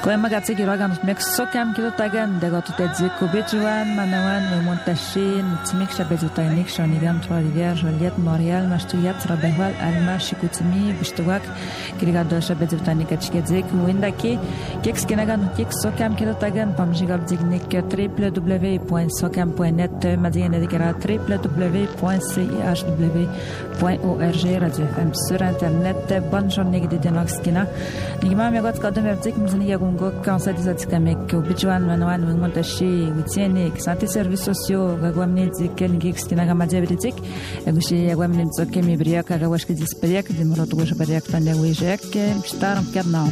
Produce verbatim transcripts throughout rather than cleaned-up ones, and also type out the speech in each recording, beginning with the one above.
Kwe magatse kirogan mek sokam kilo tagan de gotu tedzi kubejuan manawan me montashin timik shabezutanik shonigan Trois-Rivières Joliette Montréal mashtuyat rabehwal alma shikutimi bishtuak kirigado shabezutanik achkedzik windaki keks kenagan keks sokam kilo tagan pamjigab dignik w w w point sokam point net madien dedikara w w w point c h w point org radio F M sur internet. Bonne journée de Denoxkina. Nigma megot kadem erzik mzini yagungo kansa dizatikamek ubijuan manwan montashi witiene santé services sociaux gagwamne ziken gixkina gamadia britik egushi yagwamne zokemi briak gawashki dispriak dimrot gosh briak tanya wijek staram kadnao.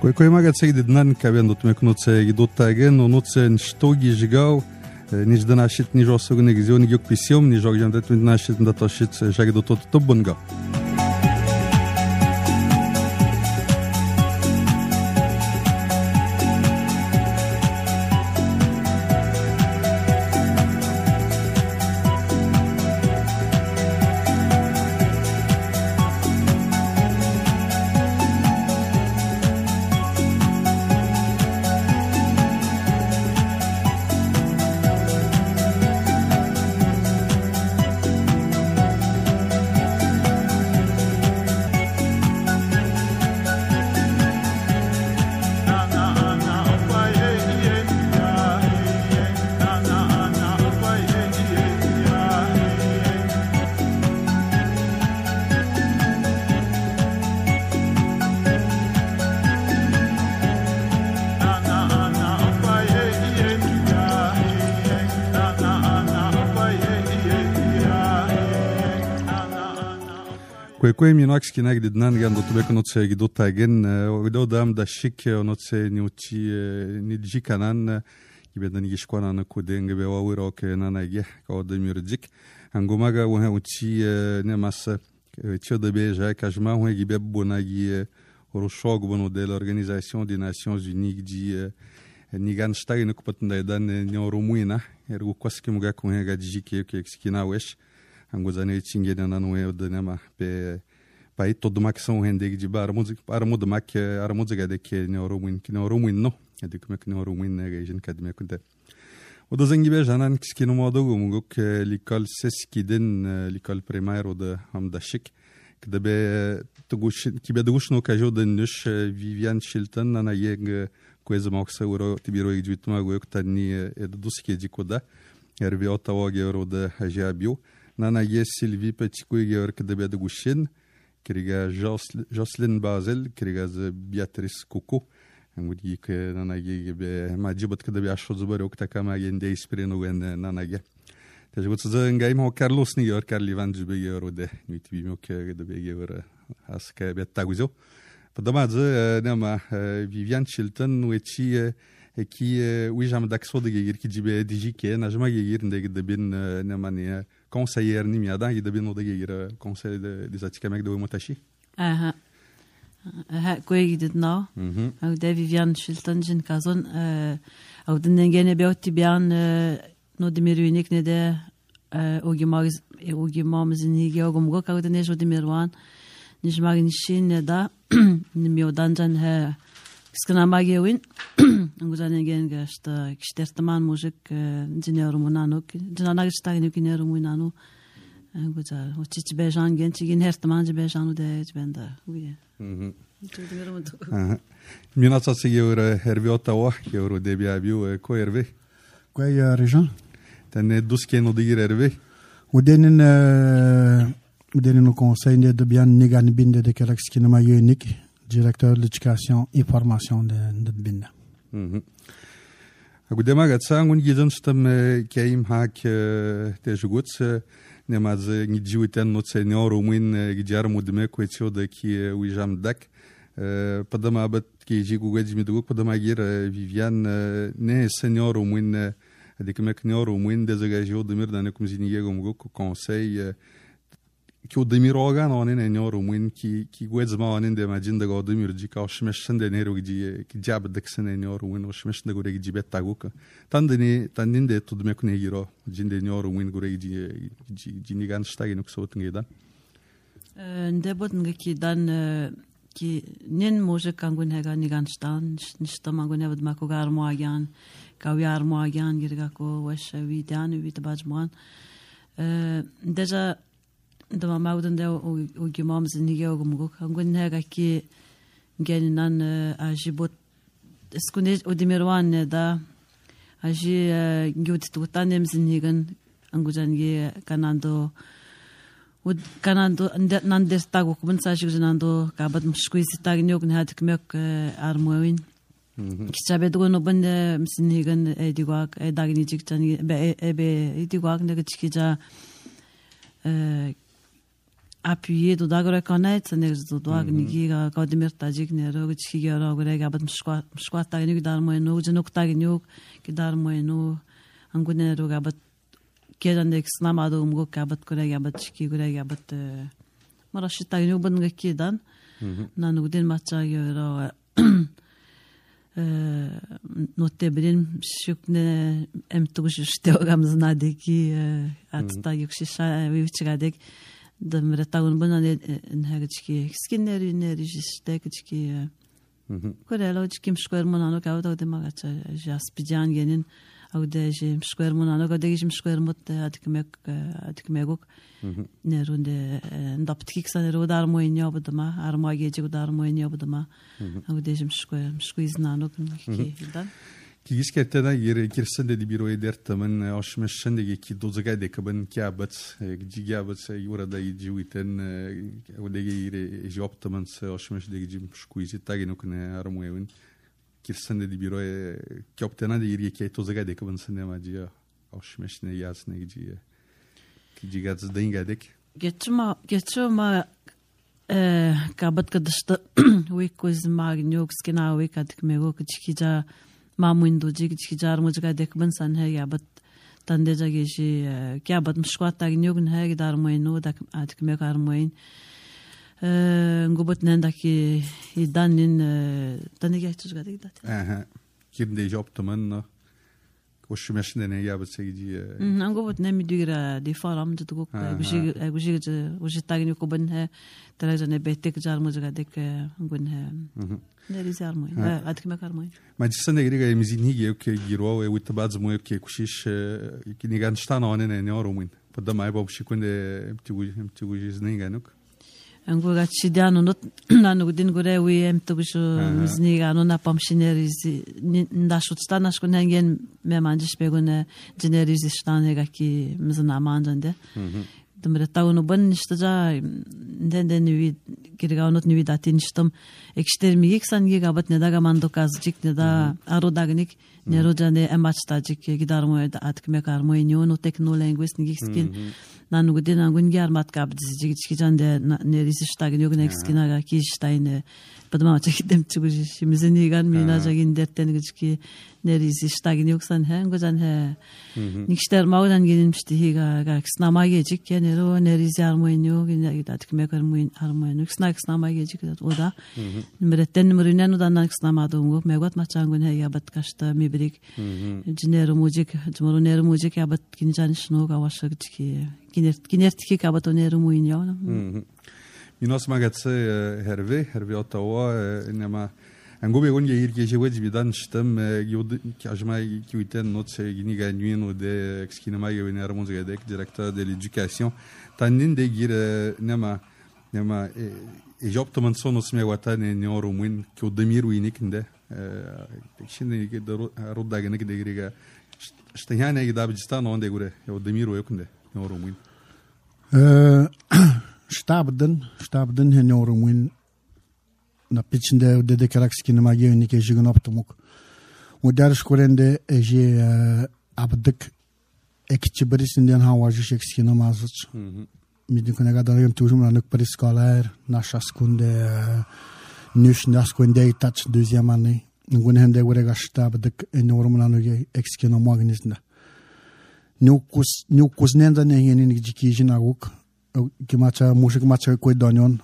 Кой кой магат сегде днан кабен дот мекноце гидоттаген ноце штоги жигау ниж данашит ниж осогне гизиони гёк письем ниж огжандат нашит даташит жаги дотот тоббанга. Кое кое минакс кинаг диднан ган до тубек ноце гидоттаген огдо дам да шик ноце ньути ниджи канан гибедан гишкwana на коден гбе вавирок нанаге код мюрдик ангомага wa uti ne mas tioda beja kajma wa gibe bonagi roshog bono de l'organisation des nations unies di nigan stag ne kupatnda dan nyorumuina ergo kwaski muga ko ga dijike ke skina wesh angozane tingena nanwe danama pe pai todo mak são rende de bar música para muda mak ara música de que neuromuin que neuromuin no é de como que neuromuin né a gente cadme kunta o do zangi be janan que no modo go que l'école seskiden l'école primaire ou de amdashik que de be tugush que be tugush no kajo de nush Viviane Chilton na yeg coisa mal que sauro tibiro e dito mago eu que tani é do ski de koda ervi otawa gero de ajabio nana yes Sylvie Petitcoy gero que de be tugushin Kriga Jocelyn Basel, Kriga Beatrice Coco. Angudi que nanage be majibat kada be asho zubar ok takama yende ispreno wen nanage. Tajgut za ngai mo Carlos ni yor Carli van jube yor de niti bimo ke de be yor aska be taguzo. Padama za nama Viviane Chilton wechi ki wijam dakso de gir ki jibe dijike najma gir de de bin nama ne conseiller ni miada i de bin de gir conseil des atikamek de motashi. Aha. Ha koe dit nou. Mhm. Au de Viviane Chilton jin kazon au de ngene beotti bian no de mirunik ne de ogimaz ogimaz ni geogum go ka de nejo de mirwan nijmag nishin da ni miodan jan ha skana magewin nguzane gen gasta kishtertman mujik injineer munanok jinana gstagni kineer munanu nguzar ochich bejan gen chigin hertman je bejanu de benda oui. Mhm. Minatsa sigeur herviota wa euro de biabiu ko herve. Ko ya rejan. Tane duske no digir herve. Udenen udenen no conseil de bien negan binde de kalax kinama unique directeur de l'éducation et formation de de binda. Mhm. Agudema gatsa ngun gizon stam kaim hak tejuguts nemaz ngijiwiten no senior umin gijar mudme ko etio de ki wijam dak. Padama abat ki jigu gajmi duguk padama gir Viviane ne senior umin de kemek senior umin de zagajio de mir dane kumzini yegum go conseil ki odemir ogan onin enyor umin ki ki gwez ma onin de majin de odemir ji ka shmesh de nero gi ki jab de ksen enyor umin o shmesh de gore gi bet taguk tandini tandinde tudme kune giro jinde enyor umin gore gi gi ni gan stagi nuk so tngedan nde botn ki dan ki nen może kangun hega ni gan stan nishta mangun hebd mako gar moagan ka yar moagan girga ko wesh wi dan wi tabajman deja dama mauden de o gimam zinige o gumgo kangun hega ki gelinan ajibot skune odimirwan da aji gyut tutanem zinigen angujan ge kanando ud kanando nandes tago kuben sajig zinando kabad mshkuisi tagnyog nhat kmek armoin kichabedo no bende msinigen edigwak edagni jikchani be ebe edigwak ne gchkija appuyer do dagora kanet ne do dagni giga kadimir tajik ne ro gchkiga ro gore kabad mshkwa mshkwa tagnyog darmoin no jnok tagnyog ki darmoin no angune ro kabad kedan snamado umgo kabat kore gabat chiki gore gabat marashi tagnu ban gakidan nanu den macha yoro notte bilim shukne emtugush shtogam deki atsta yukshisha vichgadek demre tagun bana ne hagchki skinner ne rijistek chki kore logikim shkoer monano kawta de magacha jaspijan genin aude je mshkoer monano gade je mshkoer mot atkmek atkmegok ne runde ndaptkik sanero dar moynya budama arma gece dar moynya budama aude je mshkoer mshkoiz nano ki dan ki giskertena yere kirsen de biro eder tamen aşmeşen de ki dozaga de kaben kabat gigabat yura da yiwiten aude yere job tamen aşmeş de gijim mshkoiz tagino kne armoyevin kirsen de biro kaptena de yere ki dozaga de kaben sinema diye aşmeş ne yasne giye ki gigaz dengadek geçma geçma kabat kadışta wikoz magnyok skena wikadik mego kichija mamuin doji kichjar mujga dekban san hai yabat tande jage shi kya bat mshkwat tagnyog hai dar moino dak adik me kar moin ngobot nandaki idanin tande gechus gadik dat aha kimde job taman koş meşne ne yabat segi ngobot ne midigra di faram jitgok gushi gushi gushi tagnyog ban hai tarajane betek jar mujga dek ngun hai Neresi armoin, adik me kar moin. Ma ci sono dei mizini che che giro e utabaz mo che kushish che ni gan sta no ne ne orumin. Pada mai bob shi kunde mtigu mtigu jizninga nuk. Ango ga chidiano not nanu din gore wi mtigu mizniga no na pamshinerizi nda shutsta nash kunengen me manjish begone generizi shtane ga ki mizna manjande. Demre tawnu ban nishtaja ndende niwi kirgaunot niwi datin nishtam ekstermi yeksan gigabat ne daga mando kazjik ne da arodagnik ne rojane emachtajik gidarmo atkme karmo inyo no technolinguist ngikskin nanu gudin angun garmat kabdizjik chikjande ne rishtagin yok nekskina ga kishtaine padma chekidem chuguji shimizeni gan minajagin derten gijki ne rishtagin yoksan hen gojan he nikster maudan gelinmişti higa ga snama gejik ne ro ne rizarmo inyo ne atkme karmo armo inyo snak snama gejik oda Mretten mrinen udan snamadım megot machangun he yabat kashta mibrik jinero mujik jmoro nero mujik yabat kinjan shno ga washagki kinert kinertki kabat onero muinyo Minos magatse herve herve otawa inma angobe gon yeir ke jewaj bidan shtam yod kajma kiwiten not se gini ganuin o de exkinama yener muzgadek directeur de l'éducation tanin de gir nema nema e job taman sonos me watane ne orumin ki odemir winikinde şimdi de rodagene gideriga shtehane gidabistan onde gure odemir yokinde ne orumin Stabden, stabden he ne orumin na pitchinde de dekaraks ma yenike jigun optumuk. O ders korende eje abdik ekçibirisinden havacı şekskina mazıç. Midin kone kadar yem tujum lanık periskoler naşas kunde nüş nas kunde taç deuxième année. Ngun hende gore gastabdik en orumin lanık ekskina magnisna. Nukus nukus nenda ne yenin gijiki jinaguk 기마차 무식 마차 거의 다녀온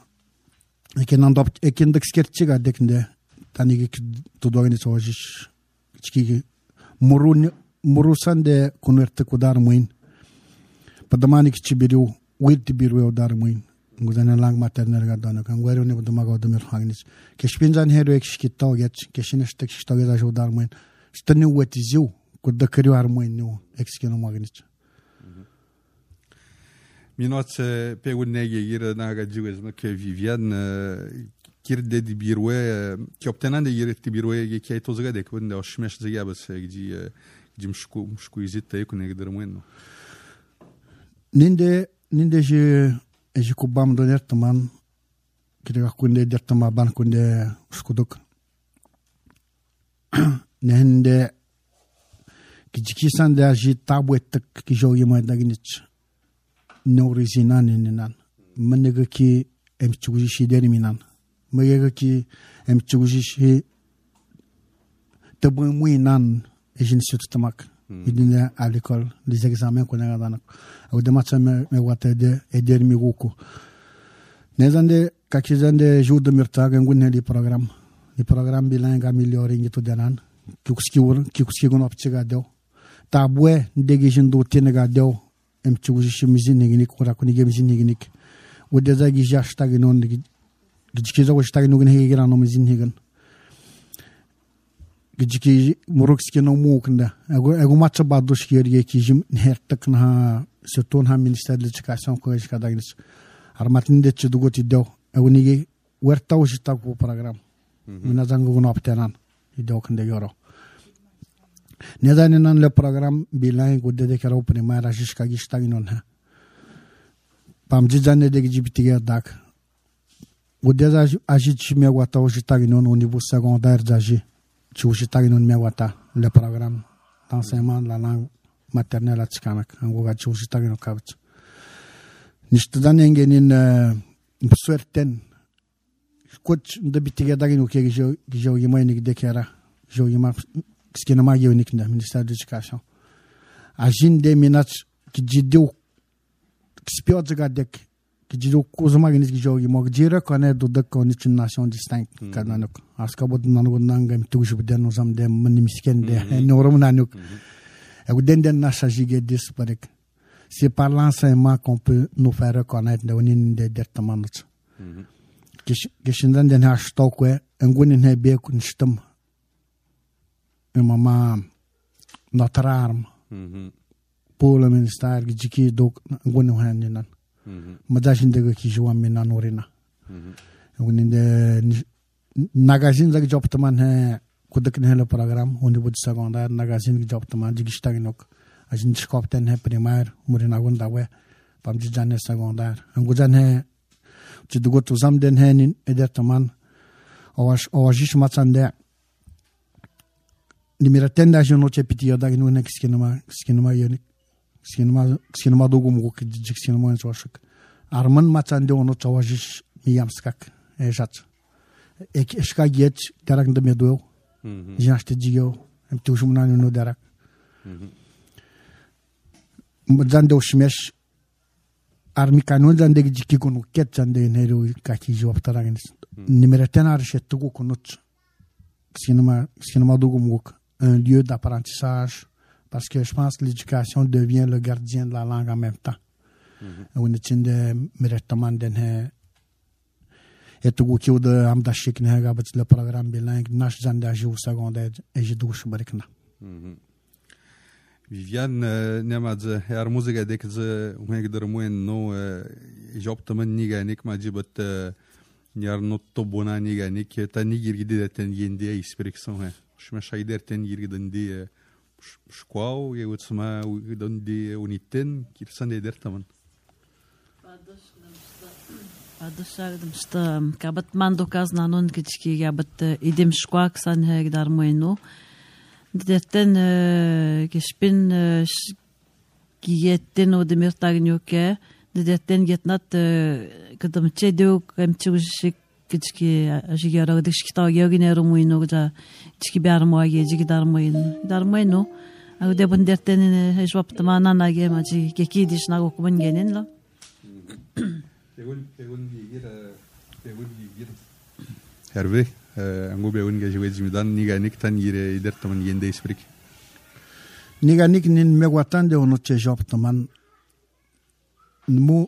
이렇게 난도 에킨득 스케치가 되는데 단이기 도도하니 저지 지기 모루 모루산데 코너트 고다르 모인 padamani kichibiru wit biru dar muin ngudana lang maternal ga dana kan wero ne buduma ga domir hangnis keshpinjan hero ekshikita ogech keshineshtek shtoge da jodar muin stani wetizu kudda kriu ar muin no ekskeno magnich minot pegunege gira na ga jiwez ma ke Viviane kirde di birwe ki obtenande yirti birwe ge ke tozga de kunde oshmesh zega bas gi gi mshku mshku izita ekune gder muin Ninde ninde je je kubam doner taman kira kunde dertama ban kunde skuduk nende kijiki sanda je tabwet ki jogi ma dagnich no rizinan ninan menega ki emchuji shideri minan menega ki emchuji shi tabu muinan ejin suttamak idine à l'école les examens qu'on a dans au dematsa me me wata de eder mi guko nezande kakizande jour de mirta gangun li programme li programme bilingue amélioré ngito denan kikuski wor kikuski gon optiga do tabwe ndegi jindo tenega do em chuji shimizin ngini ko rakuni gemizin ngini o dezagi jashta ginon gijkiza wo shta ginon ngini gira no mizin higan gijki murukski no muknda ego ego matcha badush yerge kijim hertak na setun ha minister de l'éducation ko iska dagnis armatin de chudugoti do ego nigi werta ushta ko program mina zangu no aptenan ido kende yoro nedane nan le program bilang gudde de karo primara jishka gishta ginon ha pamji janne de gibitiga dak gudde za ajit me wata ushta ginon au niveau secondaire zaji Chouchitag non mewata le programme d'enseignement de la langue maternelle à Tchikanak. En gros, Chouchitag no kavch. Nishtadan engenin certain. Coach de bitiga dagino ke jo jo yima nik dekera. Jo yima skinama yonik na ministère de l'éducation. Ajin de minach ki jidu spiodga dek ki jidu kozma genis ki jo yima jira kone do de konich nation distinct kananok. Aska bod nango nangam tuju bden uzam de manimisken de norom nanuk. Et vous donnez un achagé disparek. C'est par l'enseignement qu'on peut nous faire reconnaître de unin de dertamanots. Geshindan den hashtokwe ngunin he be kun stum. Mama notre arme. Pour le ministère giki dok ngunu haninan. Madajin de ki joa minan orina. Ngunin de nagazin zag job taman he kudak ne le program on niveau secondaire nagazin ki job taman jigista ginok ajin skopten he primaire murina gonda we pam jane secondaire ngujan he jidugot uzam den he nin eder taman awash awajish matsande nimera tenda jono chepiti yoda ginu ne kiskinama kiskinama yonik kiskinama kiskinama dogum go kiskinama en soshik arman matsande ono chawajish miyamskak e jat ek eska get darak de medo jashte jigo em tushumna no darak madzande oshmesh armi kanon zande jiki kono ket zande nero kaki job taragin numéro ar chettugo konot sinema sinema dogumuk un lieu d'apprentissage parce que je pense que l'éducation devient le gardien de la langue en même temps on est tinde meretaman den he etugo ki de am da shikne ha gabat le programme bilingue nash zande aju secondaire et je douche barikna Viviane nemadze her muzika dekze umegder muen no job taman niga nik majibat nyar not to bona niga nik ta nigir gide ten yende expression ha shma shaider ten yir gidandi shkwao ye utsma gidandi uniten kirsande der taman Adışardım işte kabat mando kaznanon kiçki kabat idim şkuak san her darmoyno Detten gespin giyetten o demir tagnyoke detten getnat kadam çedo kamçıgışık kiçki ajigara dışkita yogine romoyno da kiçki barmoye jigi darmoyno darmoyno au de bunderten hejwap tamana nage maji geki dişna okuman genen la Hervé, ango beun ga jwe jimidan ni ga nik tan yire ider taman yende isfrik. Ni ga nik nin megwatan de ono che job taman mu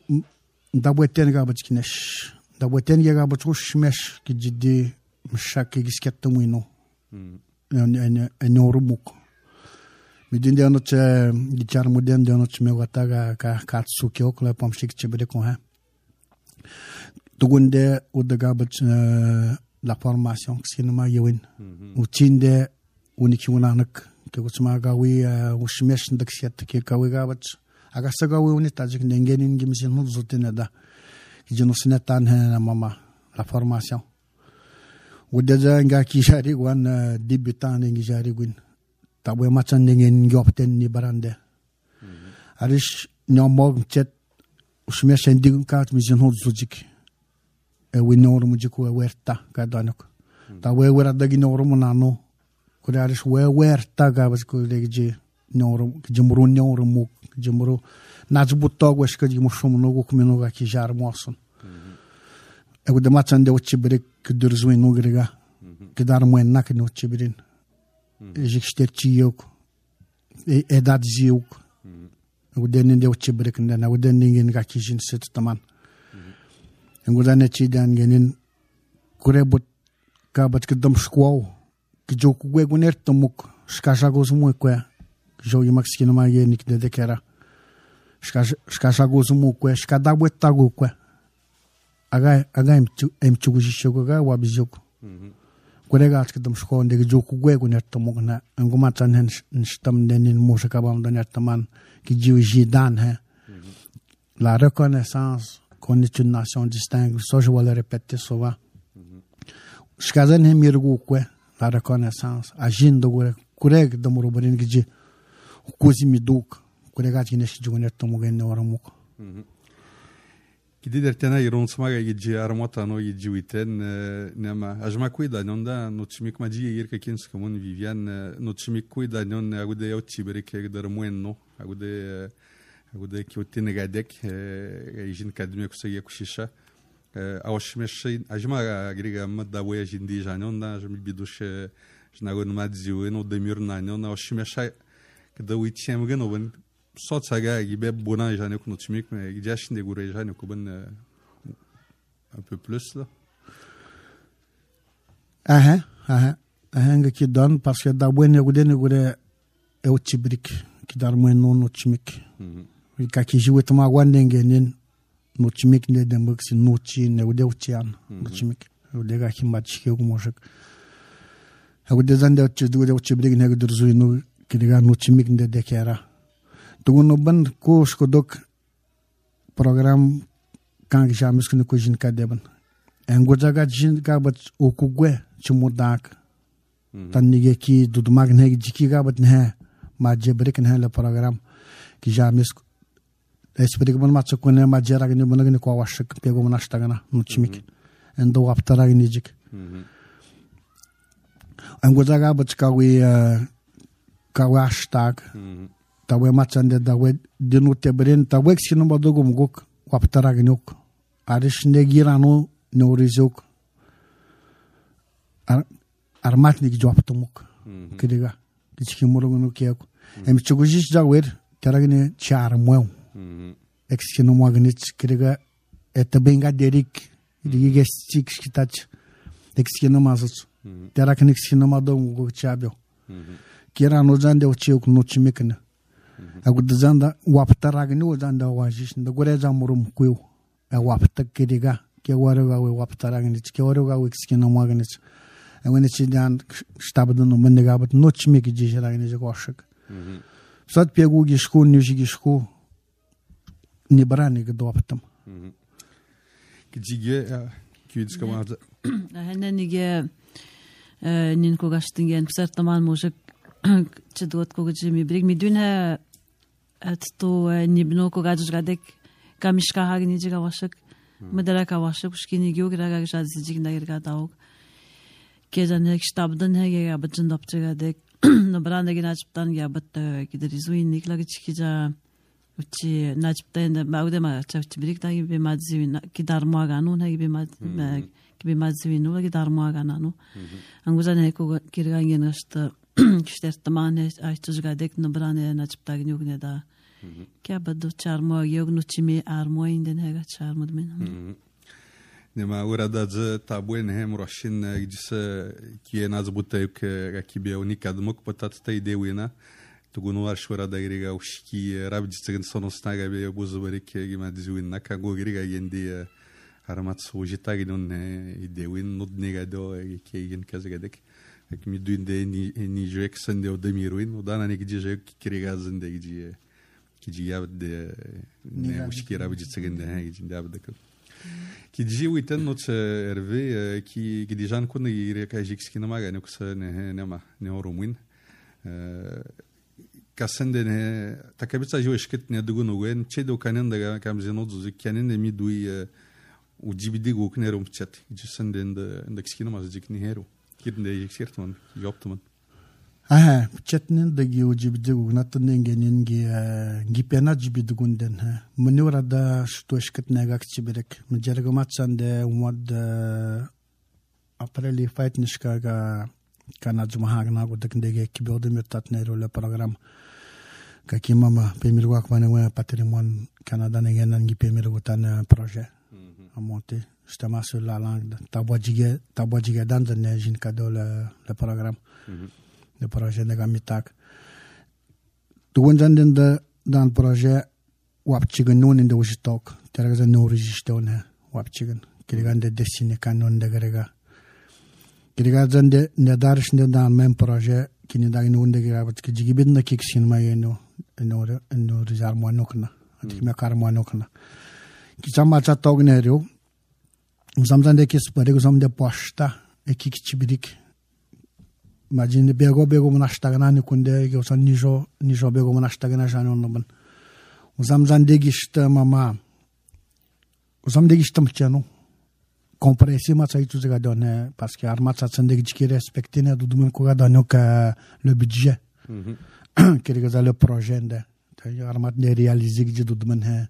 dabweten ga bachkinesh dabweten ga bachrush mesh ki jiddi mshak ki gisket tamuino. En en en orumuk. Midin de ono che gitar modern de ono che megwataga ka katsuki okla pomshik che bede ko ha. Tugunde udaga bach la formation sinema yewin uchinde uniki unanak ke gusma gawi ushmesh ndak siat ke gawi gabach aga sagawi uni tajik nengenin gimsin hu zutena da jinosina tan ha mama la formation udaja nga ki jari wan debutant ngi jari gun tabwe machan nengen ngopten ni barande arish nyomog chet ushmesh ndig kat misin hu zujik e winor mujiku werta kadanok ta we wera dagi noro munano kudaris we werta gabas ko legje noro jumru noro mu jumru najbutto gwesh ka jimushum no go kumino ga ki jar moson e gude machande uchibre kudurzu no grega kedar muen nak no chibrin e jiksterchi yok e edad ziuk e gude nende uchibre kenda na gude ningen ga ki jin set taman ngudane chidan genin kurebut ka bat kedam shkwao ki joku gwe guner tomuk shkasha gozumu kwa jo yimakskina ma yenik de dekera shkasha shkasha gozumu kwa shkada bwetta go kwa aga aga em em chuguji shoga wa bizok kurega at kedam shkwao de joku gwe guner tomuk na nguma tan hen stam denin musaka bam daner taman ki jiuji dan ha la reconnaissance qu'on est une nation distincte, ça je vais le répéter souvent. Shkazan he mirgu kwe la reconnaissance, agin do gore kureg do murubarin gije kuzi miduk kurega tinesh jugoner tomugen ne waramuk. Kidi dertena iron smaga gije armota no gije witen nema ajma kuida nonda no chimik maji yirka kins kamun Vivian no chimik kuida non agude yochi berike der muenno agude agude ki utine gadek ejin kadme kusaya kushisha awshmesh ajma griga madda boya jindi janonda jmi bidush jnagon madziu no demir nanyon awshmesh kada witchem ganoben sotsaga gibe bona jane kuno chimik me gijash de gure jane kuben un peu plus là aha aha aha ki don parce que da buene gudene gure e uchibrik ki dar mo no chimik ka ki jiwet ma wandenge nen no chimik ne de mx no chi ne ude uchian no chimik ude ga himma chike ko moshak ude zande uchi ude uchi brig ne gudurzu no kiga no chimik ne de kera tugono ban ko skodok program kan jamis ko ko jin ka deban engoja ga jin ka bat o kugwe chumudak tan nige ki dudmag ne jiki ga bat ne ma jebrik ne la program ki jamis Espero que macho com a majera que não é que eu acho que pegou uma stagana no chimik, endo aptara que nijik. Angoja ga bachkawi kawa hashtag, tawe machande dawe dinu tebrin tawe xino badogo mugok aptara que nuk, arish negirano neurizok, armatnik joaptomuk, kiriga, kichimuro no kiako. Em chugujish jawer, teragine charmweu. Exkino magnich kirega etabenga derik dige stik skitach exkino mazut teraknik exkino madong go chabio kira no zande ochiok no chimekna agud zanda waptaragni o zanda wajish nda gore zamurum kuyo a wapta kirega ke waraga we waptaragni ke waraga we exkino magnich awene chidan stabdo no menega bat no chimeki jisharagni joshak sat pegu gishku nyuji gishku не брани го доптам. Киге кюдс команда. Хана ниге нин когаштинген псар таман мужик чедот когажи ми бриг мидуна атто нибно когаж гадек камишка хагни жига вашак мадара ка вашак шкини география жазижиг нагерга дауг кезанек штабдан хеге бачин допчига дек но брандеген ачптан я бат кидер изуин никлаги чикижа Uchi najptende baude ma chawchi birik ta gibi madzivina ki darmoaga nu na gibi mad gibi madzivinu la ki darmoaga nanu anguzan heko kirgangen asta kishtertmane aytuzgadek nabrane najptagni ugne da kya badu charmo yognu chimi armo inden hega charmod men nema urada z tabuen hem roshin gdis ki nazbuta yuk rakibe unikadmok patat ta idewina tugunwar shura da iriga ushki rabdi tsigin sonosnaga be buzbarik gima dizwinna kago iriga yendi haramat sujita gidon idewin nudniga do kegen kazgadek mi duinde ni ni jek sende o demiruin udana ne gidje kiriga zinde gidje gidje yabde ne ushki rabdi tsigin ha gidje yabde كي ويتن نوت ارفي كي كي ديجا نكون يريكا جيكس كي نما غاني كس نه نما نورومين كاسندن تكبيتا جو اشكت ندغون وين تشيدو كانن دا كام زينوت زي كانن ميدوي وجيبدي غوكنيرو متشات جسندن دا كسكي نما زيك نيهرو كيدن يكسيرتمن جوبتمن اه chatnin da gi ujibde gugnatnen genin gi gipena jibide gunden ha munura da shtoshkat nagakchi berek mjergamatsan umad apreli fight nishkaga kana jumahagna godakndege kibode metatnero le program kakimama pemirwak manwa patrimoine canada negenan gi pemirgutan projet a monter justement sur la langue tabwajige tabwajige dan ne jin kado le le programme le projet de gamitak tugun janden da dan projet wapchigen non in de ustok terga no registone wapchigen kirgan de destiny kanon de grega kirga jande ne darsh ne dan men projet kini da non de grega bat kigibin na kiksin mayeno no no rizar monokna atik me kar monokna kichama chatognerio uzamzande kis parego zamde posta e kikchibidik Imagine bego bego munashtagana ni kunde ge usan nijo nijo bego munashtagana jani onnoban. Uzam zandegishta mama. Uzam degishta mchano. Compresi ma sai tu zega donne parce que arma sa sandegi ki respecte ne dudumen ko gadano ka le budget. Que les le projet de arma de réaliser que dudumen he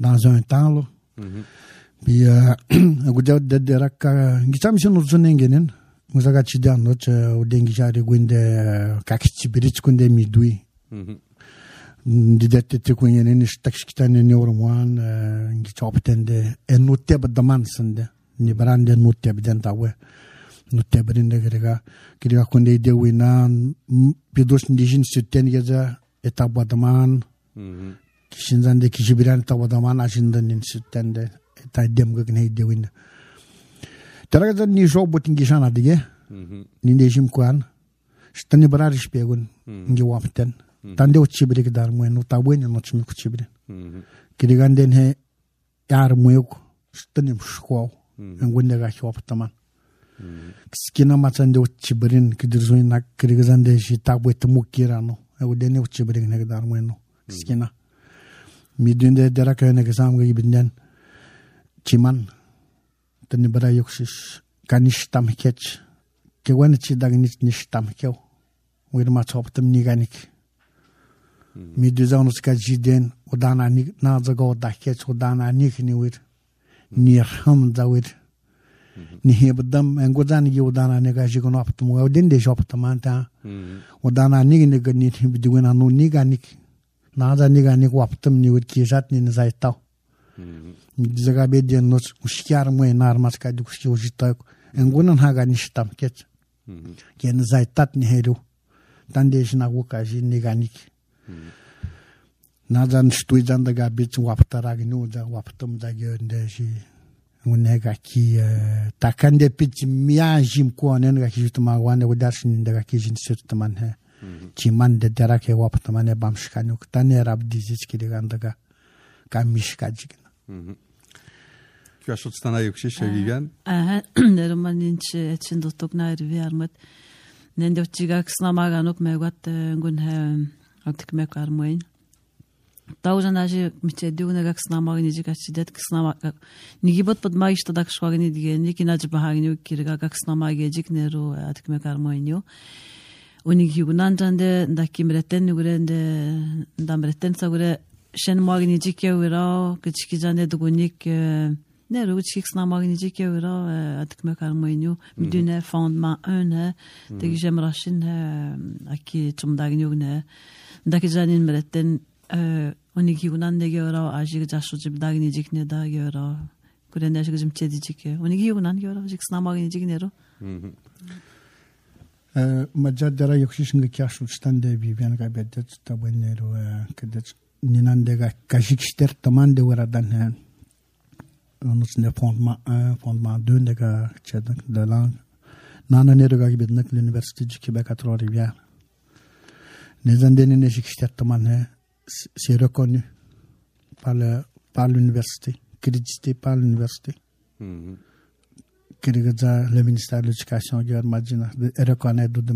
dans un temps. Puis agudia de deraka gitam sino zunengenen Muzaga chidan no cha udengi jari gwinde kakchi birich kunde midui. Didette te kunyen ni stakshkitan ni orman ngi choptende en nutte badaman sende ni brande nutte bidentawe nutte brinde grega kiriga kunde de wina pidos ndijin sitten geza etabadaman kishinzande kishibiran tabadaman ajindan ni sittende eta demga gne de wina Teraga ni job botingi jana dige ni dejim kwan stani barar spegun ngi wapten tande uchibrik dar moen utabwen no chimi kuchibri kiriganden he yar moyuk stani shko ngunde ga choptaman skina matande uchibrin kidirzoin nak kirigazande shi tabwet mukirano udene uchibrik ne dar moen skina midunde deraka ne gazam ga ibnden chiman tani bara yoksish kanishtam kech ke wan chi dagnit nishtam kew wir ma choptam niganik mi duzanus ka jiden udana ni na zago da kech udana nik ni wir nirham dawir ni hebdam engodan gi udana ne ga jigon optum wa den de joptam anta udana ni ne ga ni bidugana no niganik na za niganik optum ni wir ki jat ni zaitaw Zaga bedian nos ushkiar moe narmas ka duksi ujita engunan haga nishtam ket ken zaitat ni heru tandesh na wuka ji niganik nazan stuizan daga bit waptara gnu da waptum da gende ji unega ki takande pit miajim ko nen ga ki jutma wane udarshin daga ki jin sirtman he ki man de darake waptman e bamshkanuk tane rab dizis ki daga kamishka jigna Kya shot stana yokshish Vivian? Aha, neromaninch etsin dotok na erviarmat. Nende uchiga ksnamaga nok megat ngun he atik mekar moin. Tauzan aji michedi unaga ksnamaga nijiga chidet ksnamaga. Nigibot podmaishta dak shwagni dige niki naj bahagni kirga ksnamaga jik nero atik mekar moin yo. Unig yugunan jande ndakim reten nugure nde ndam reten sagure shen magnicik euro küçük zane dugunik ne ruçik sna magnicik euro atık karmoynu müdüne fondement un de jemrashin aki çumdagnyug ne daki zanin meretten oniki unan de euro ajig jasucib dagnicik ne da euro kurende jigim çedicik oniki unan euro jik sna magnicik nero Majadara yokuşun kâşuştan de bir ben gaybedet tabanero kedet ninandega kajikster tamande varadan han onus ne fondement un fondement deux ndega çedak de lang nana nerega gibednek l'université du Québec à Trois-Rivières nezandene ne jikster taman c'est reconnu par le par l'université crédité par l'université Kirigaza le ministère de l'éducation gör majina reconnaît do de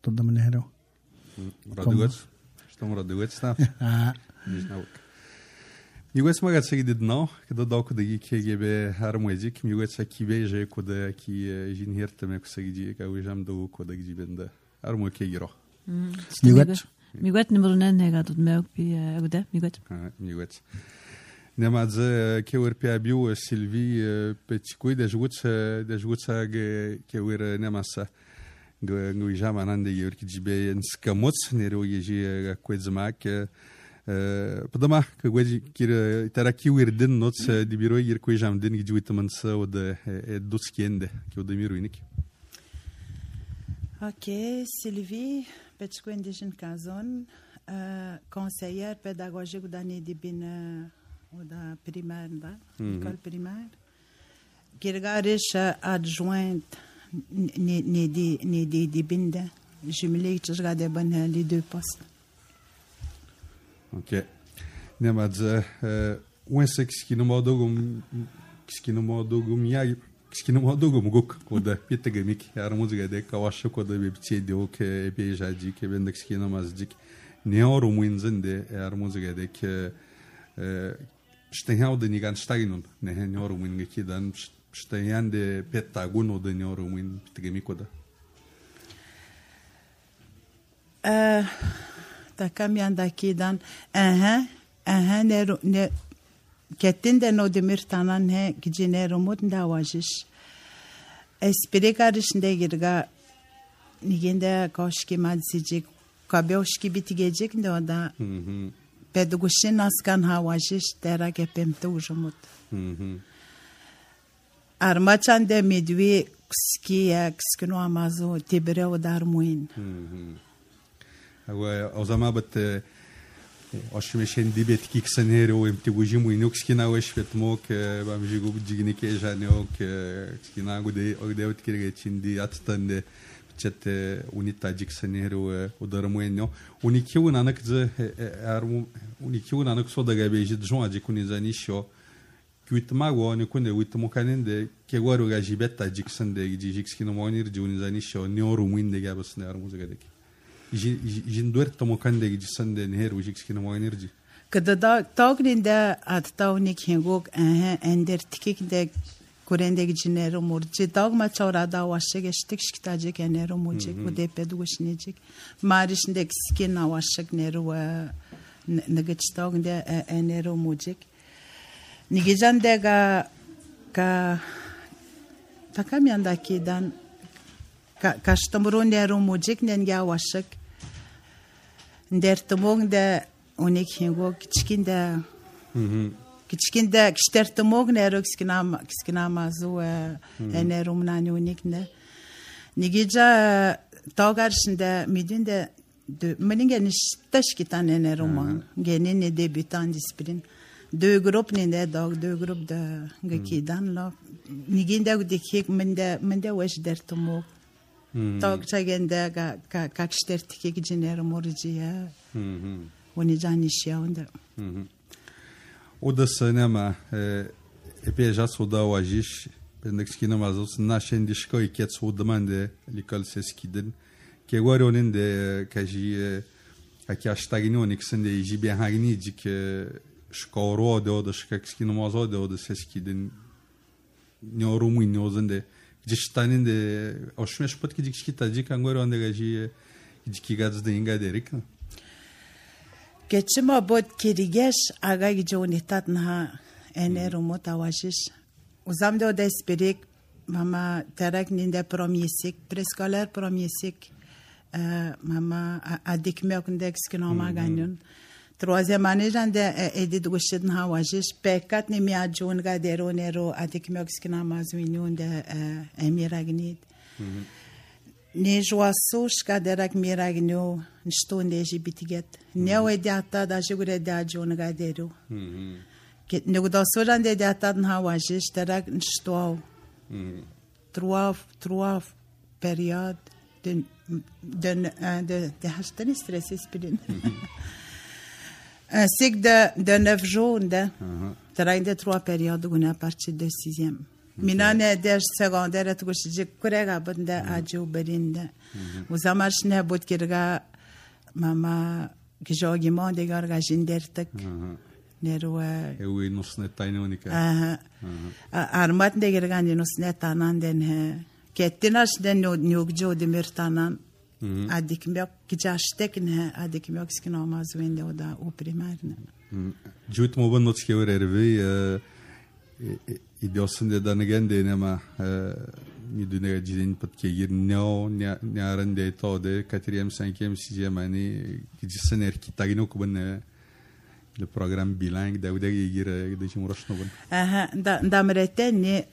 do de manero. Радугац, что му радугац став. А. Мигуец магат сега дедно, когда долко да ги кегебе армуезик, мигуец аки беже кода аки жинхерта ме косаги ка уижам до кода ги бенда. Арму кегиро. Мигуец. Мигуец номер нен нега тут меок би агуда мигуец. А, мигуец. Нема за кевер пиабиу Сильви петикой да жгуца да жгуца ге кевер немаса ге гуижама нанде гевер киджибе нскамоц неро ежи квезмак подама квези кир тараки уирден ноц дибиро гер квежам ден гижуитаманса од доскенде кеодемируиник. Ok, Sylvie, petikoy indigène kazon, conseillère pédagogique d'année dibine da primaire da école primaire girgarish adjointe ne ne di ne di di binda jumelé que je regardais ben les deux postes. Ok. Nemadze when six ki no modogum ki no modogum ya ki no modogum gok koda pitagamik yarmuzga de kawash koda be bitsedi ok ebe jadi ke bendak ki no mazdik ne oru muinzinde yarmuzga de ke Штеял да ни ган штагинун, не е ньорумин гекидан, штеян де петагуно да ньорумин питагемикода. Така мянда кидан, aha, aha ne ne kettin de no demir tanan he gijine romut da wajish. Espri karışında girga nigende koşki madzicik, kabyoşki bitigecek de o da. Pedagogin askan havajish tera kepemte ujumut. Armachan de midwi skiya skino amazo tibre o darmuin. Awa ozama bat oshmeshen dibet kiksanero imtibujimu inukskina weshvetmok bamjigu bjignik ejanok skina gode ogde utkirgechindi atstande Chat unita jiksanero udarmuenno unikiu nanak ze armu unikiu nanak soda gabeji djon ajikuni zanisho kuitmago ne kunde uitmo kanende ke waru gajibetta jiksande jijiskino monir juni zanisho nyoru muinde gabasne armu zagadek jindwer tomo kande jisande neher jiskino monir ji kada da tagninde at tawnik hengok eh ender tikikde Kurendeki cinero murci dağma çorada vaşe geçtik şiktaje kenero murci bu depede goşnecek marişindeki skin avaşık nero negeçtağında enero murci nigejan dega ka takamyandaki dan ka kaştamuro nero murci nenge avaşık dertmongda onik hengo kiçkinde Kiçkinde kişterti mogne rökskinama kiskinama zo enerum nanyunikne. Nigija tağarşında midinde meninge niştaş kitan enerum genene debutan disiplin. Deux groupes ne dog deux groupes de gekidan la niginde gudikik mende mende weş dertumo. Tağçagende ka ka ka kişterti ki generum orjiya. Oni janişya onda. Oda se nema epey jas oda wajish bendak skina mazos na shendi shkoy ket so demande l'école seskidin ke waronin de kaji aki ashtagini oniksen de jibe hagni dik shkoro de oda shkak skina mazo de oda seskidin nyorumu nyozan de jishtanin de oshmesh pot ki dik skita dik angoro de kaji dik gaz de inga derik Geçima bod kirigeş aga gijonit na ener umut awajish. Uzamda o desperik mama terak ninde premier cycle, préscolaire premier cycle. Mama adik mekundek skinoma ganyon. Troisième année jande edit gushid na awajish. Pekat ni mi ajon ga dero nero adik mek skinama zwinyon de emiragnid. Ne joasosh ka derak miragno nshtonde jibitiget. Ne o ediata da jugure da jon ga dero. Ne godasoran de ediata na awajish derak nshto. Trois trois période de de de de hastani stressé spilin. Un cycle de de neuf jours de derak de trois périodes on à partir de sixième. Minane ders secondaire tu gosjik kurega bunda aju berinde. Uzamash ne bot kirga mama gijogi monde garga jindertek. Nero ewi nosne taynonika. Aha. Armat de girga ni nosne tanan den he. Kettinas den nyugjo demirtanan. Adik mek gijashtek ne adik mek skinama zwende oda o primarne. Jut mo bon notske erve идёсынде даныгенде нема ми дүнеге жидин патке гирнео нярынде тоде катерием cinquième sixième année кижисен эрки тагино кубын le programme bilingue da udagi gire de chimurashno bun aha da damreten ne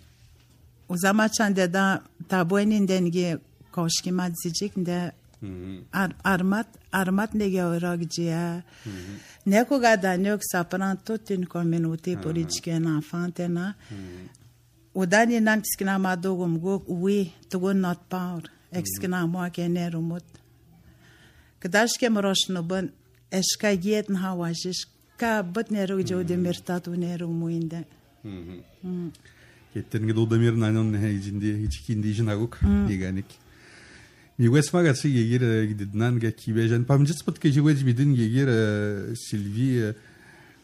uzamachan de da tabuenin dengi koşki madzicik de armat armat nege oragcia ne ko gada ne ok sapran toute une communauté politique un enfant tena udani nan skina madogum go oui to go not power exkina mo kener umut kdash ke moroshno bun eska yet na hawajish ka but ne ro jo de mertatu ne ro muinde kettengi do demir nanon ne hijindi hichkindi jinaguk diganik Мигуес магаци гегер гиднан га кибежан памжис пат ке жигвеж бидин гегер Сильви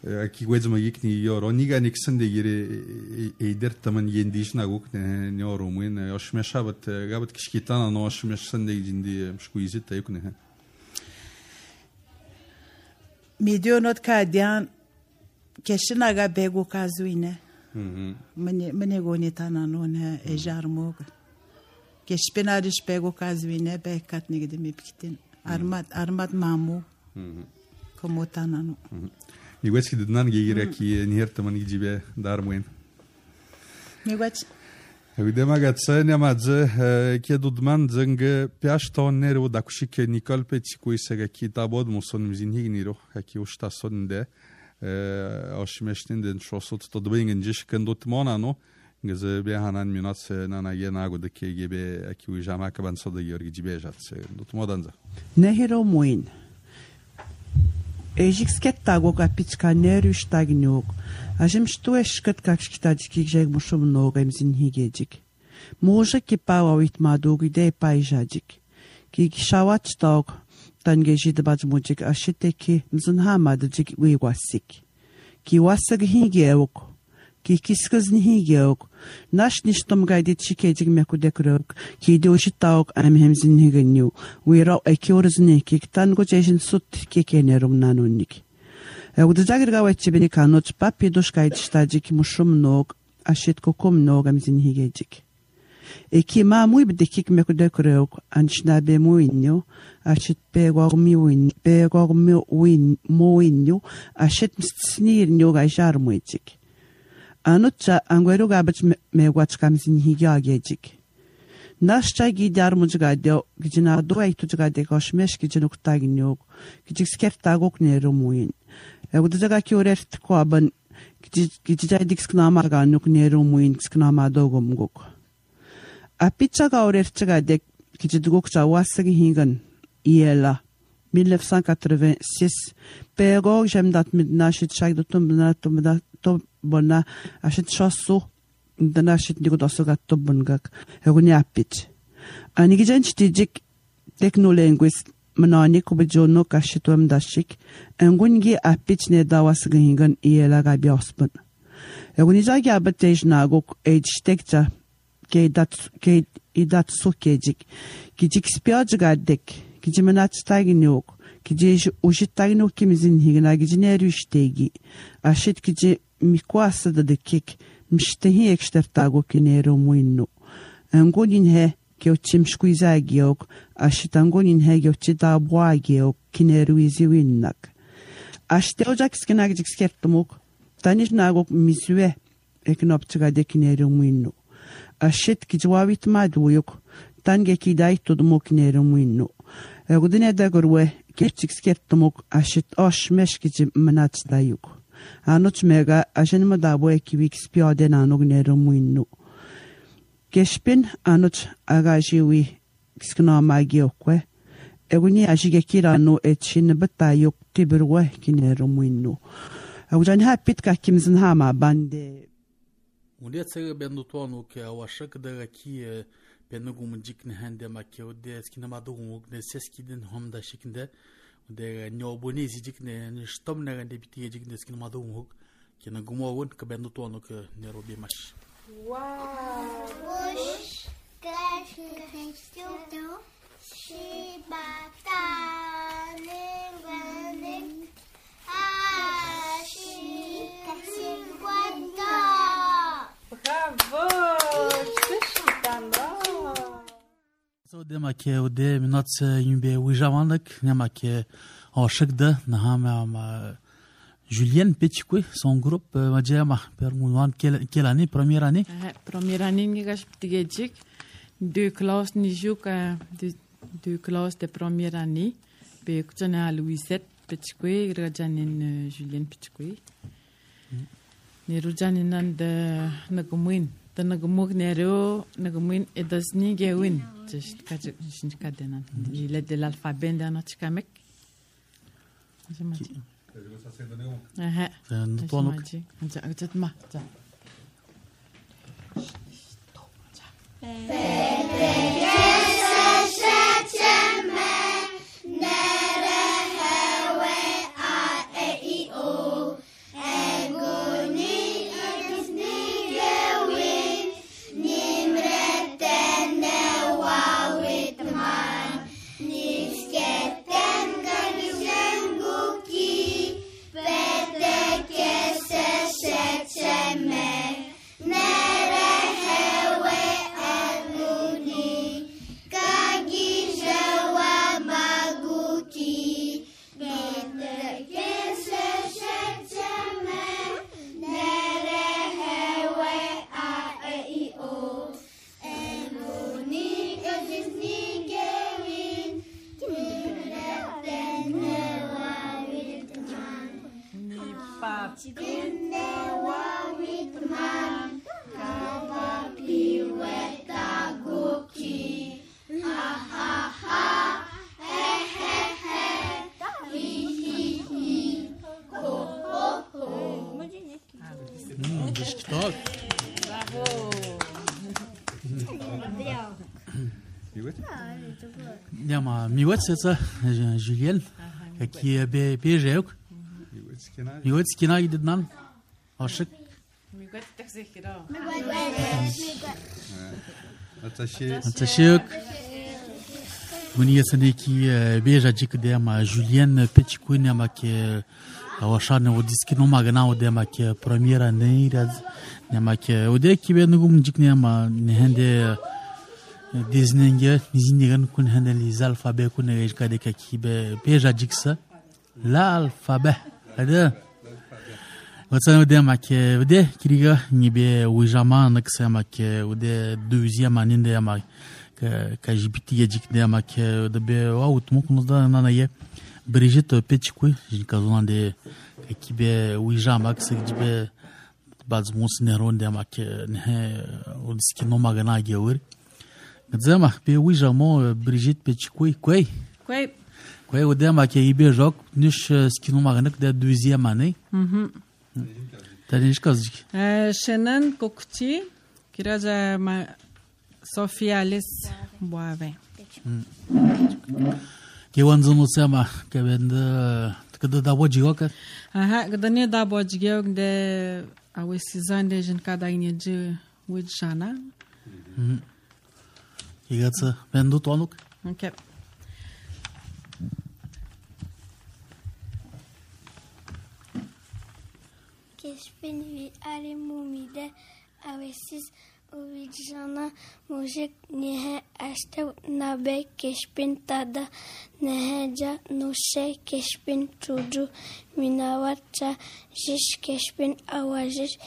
кигвеж магикни йоро нига никсен де гере эйдер таман ендиш нагук не нёрумын ошмешабат габат кишкитана но ошмешсен де жинди мшкуизит тайкне Мидионот кадян кешинага бегу казуине мене мене гонитана нон эжармог Keşpenariş pego kazvine be katne de mipkitin armat armat mamu komotanano Miguel ki dudnan gegira ki niher taman gibe darmuen Miguel Evidema gatsa ne madze ki dudman zeng piash tonner u dakushik Nicole Petikuy sega kitabod muson mzinhi niro ki ushta sonde oshmeshtin den shosot to dbingen jish kendot monano Gazı bir hanan minat nana yenago da ki gibi ki ujama kaban soda yorgi cibejat tutmadanza. Nehiro muin. Ejik skettago kapichka nerüş tagnyok. Ajim stu eşkat kapşkitadiki jeg mushum noga imzin higejik. Moja ki pawa vitmadog ide payjajik. Ki shawat tog tangejid bajmujik ashiteki mzun hamadjik wiwasik. Ki wasag higeyok. Ki kiskaz nihigeyok. Nash nishtom gaydit şikecik mekudekürök. Ki deoşit taok amhemzin higenyu. Uira ekiorzni ki tango çeşin sut kekenerum nanunnik. Udazagir gawetçi beni kanoç papi doş gaydiştacik muşum nog. Aşit kokum nog amzin higecik. Eki ma muy bidekik mekudekürök. Anşna be muinyo. Aşit pegormi uin. Pegormi uin muinyo. Aşit mstsnirnyo gayjar muicik. Anutça angweru gabach megwach kamsin higagejik. Nashcha gidar mujgade gijina do aytujgade koshmesh gijinuk taginyok. Gijik skertagok nerumuin. Eudaga kiorert koaban gijijaydik sknamaganuk nerumuin sknamadogumgok. Apicha gaorertgade gijidgok chawasagi higan iela mille neuf cent quatre-vingt-six pego jemdat midnashit shagdutum bnatum to bona ashit shosu danashit nigo dosogat to bungak heguni apit ani gijanchitijik technolinguist manani kubejono kashitum dashik engungi apit ne dawasgingan iela gabiosbun heguni zagi abatej nagok ejtekta ke dat ke idat sokejik gijik spiajgadek gijimanat staginyok Kije ujitagno kimizin higna gijineru ishtegi. Ashit kije mikwasa da dekik mishtahi ekshtartago kinero muinno. Angonin he keochimshkuiza geok ashit angonin he geochida bwa geok kineru izi winnak. Ashteojak skenagik skertumuk tanish nagok miswe eknoptiga de kinero muinno. Ashit kijwawit maduyuk tange kidai tudumuk kinero muinno. Egudine da gorwe Gerçek skertumuk aşit aş meşkici manaçdayuk. Anoç mega ajenma da bu ekibik spiyade nanog nero muinnu. Gespin anoç agajiwi skna magiokwe. Eguni ajige kirano etşin batayuk tibirwe kinero muinnu. Agujan hapit kakimizin hama bande. Ulietse bendu tonu ke awashak da ki benugum jikne hande makke ode skina madugum ne seskidin homda şekinde de nyobuni zijikne shtomna gande bitiye jikne skina madugum kina gumovun ke bendu tonu ke nerobi mash. Wow. Bush crash studio shibata lingwaling ashi cinquanta. Bravo! So dema ke ode minat yumbe wijamanlık nema ke aşık da nahama ma Julien Petitcoy son grup majama permuan quelle année première année première année ni gash tigejik deux classes ni juk deux classes de première année be kutana Louisette Petitcoy rajanin Julien Petitcoy ne rujanin nan de nagumuin de nagumuk nero nagumuin edasni gewin just kaje shinj kadenan il est de l'alphabet dans tikamek aha tonuk anja ajatma ja Няма миват сеца Julien qui est P G ok Miwat skina gidnan aşık migat taxekira Attaché Attaché Buniyasane ki bejacik de ama Julien Petitcoy ne ama ke awashane o diskino magana o de ama ke première année raz ne ama ke o de ki benugum jikne ama ne hende Disnenge nizindigan kun handeli alfabe kun ejkade ki be bejaciksa la alfabe hada Watsan ode ama ke ode kiriga nibe wijama nakse ama ke ode deuxième année de ama ka jibiti yajik de ama ke de be out mukunuzda nanaye Brigitte Petitcoy jinkazon de ki be wijama kse jibe bazmus neron de ama ke ne odskino magana gewir Gdzama be wijama Brigitte Petitcoy quoi quoi quoi ode ama ke ibe jok nish skino magana de deuxième année mhm Tanish kazık. Şenan kokti kiraja ma Sofia Alice Boave. Ke wanzunu sema ke bende tkada da boji yoka. Aha, gdanie da boji yok de awe sizan de jin kada inje wijana. Mhm. Igatsa bendu tonuk. Okay. Kespin vi arimumide avesis Ovidjana mujik nehe ashtav nabe kespin tada neheja nushe kespin tuju minawacha jish kespin awajish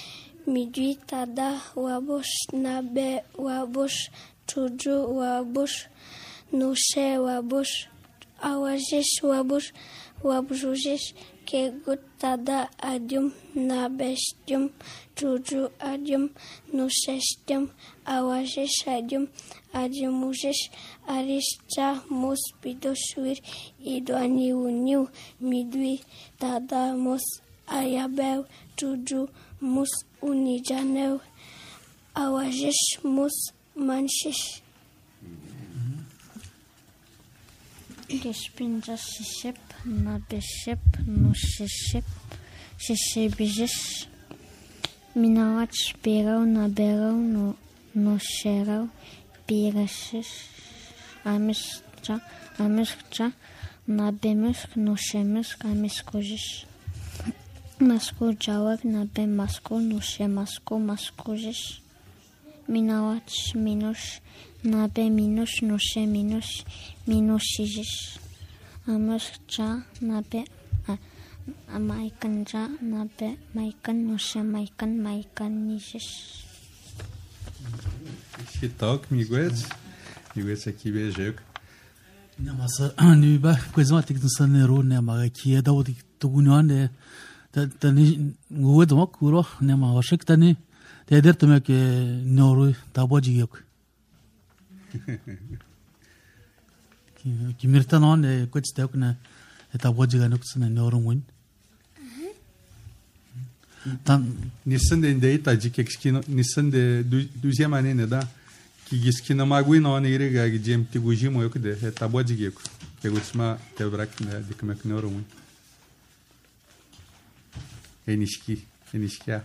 midwi tada wabush nabe wabush tuju wabush nushe wabush awajish wabush wabujish kegut tada adium nabestum tuju adium nusestum awajish adium adiumujish arischa mus pidoshwir idwaniuniu midwi tada mus ayabel tuju mus unijaneu awajish mus manshish Kespinja shiship nabeship nushiship shishibijish minawat spirau naberau no nosherau pirashish amischa amischa nabemisk noshemisk amiskojish masko jawab nabe masko noshe masko maskojish minawat minus nabe minus noshe minus minushijish amascha nabe amaikanja nabe maikan noshe maikan maikan nijish Shitok miguez miguez aqui beijek Namasa ni ba coisa que não são nero né mas aqui é da o tu gunhan de da ni ngued mo kuro né mas acho que tani de der também que nero da boji yok que que mirta não é coisa que né da boji ga não são nero muito Tan nissen de indei ta dik ekskino nissen de deuxième année ne da ki giskina magui no ne ire ga gem ti gujimo yok de ta boji geko ke gutsma te brak ne dikmek ne orum enişki enişkiya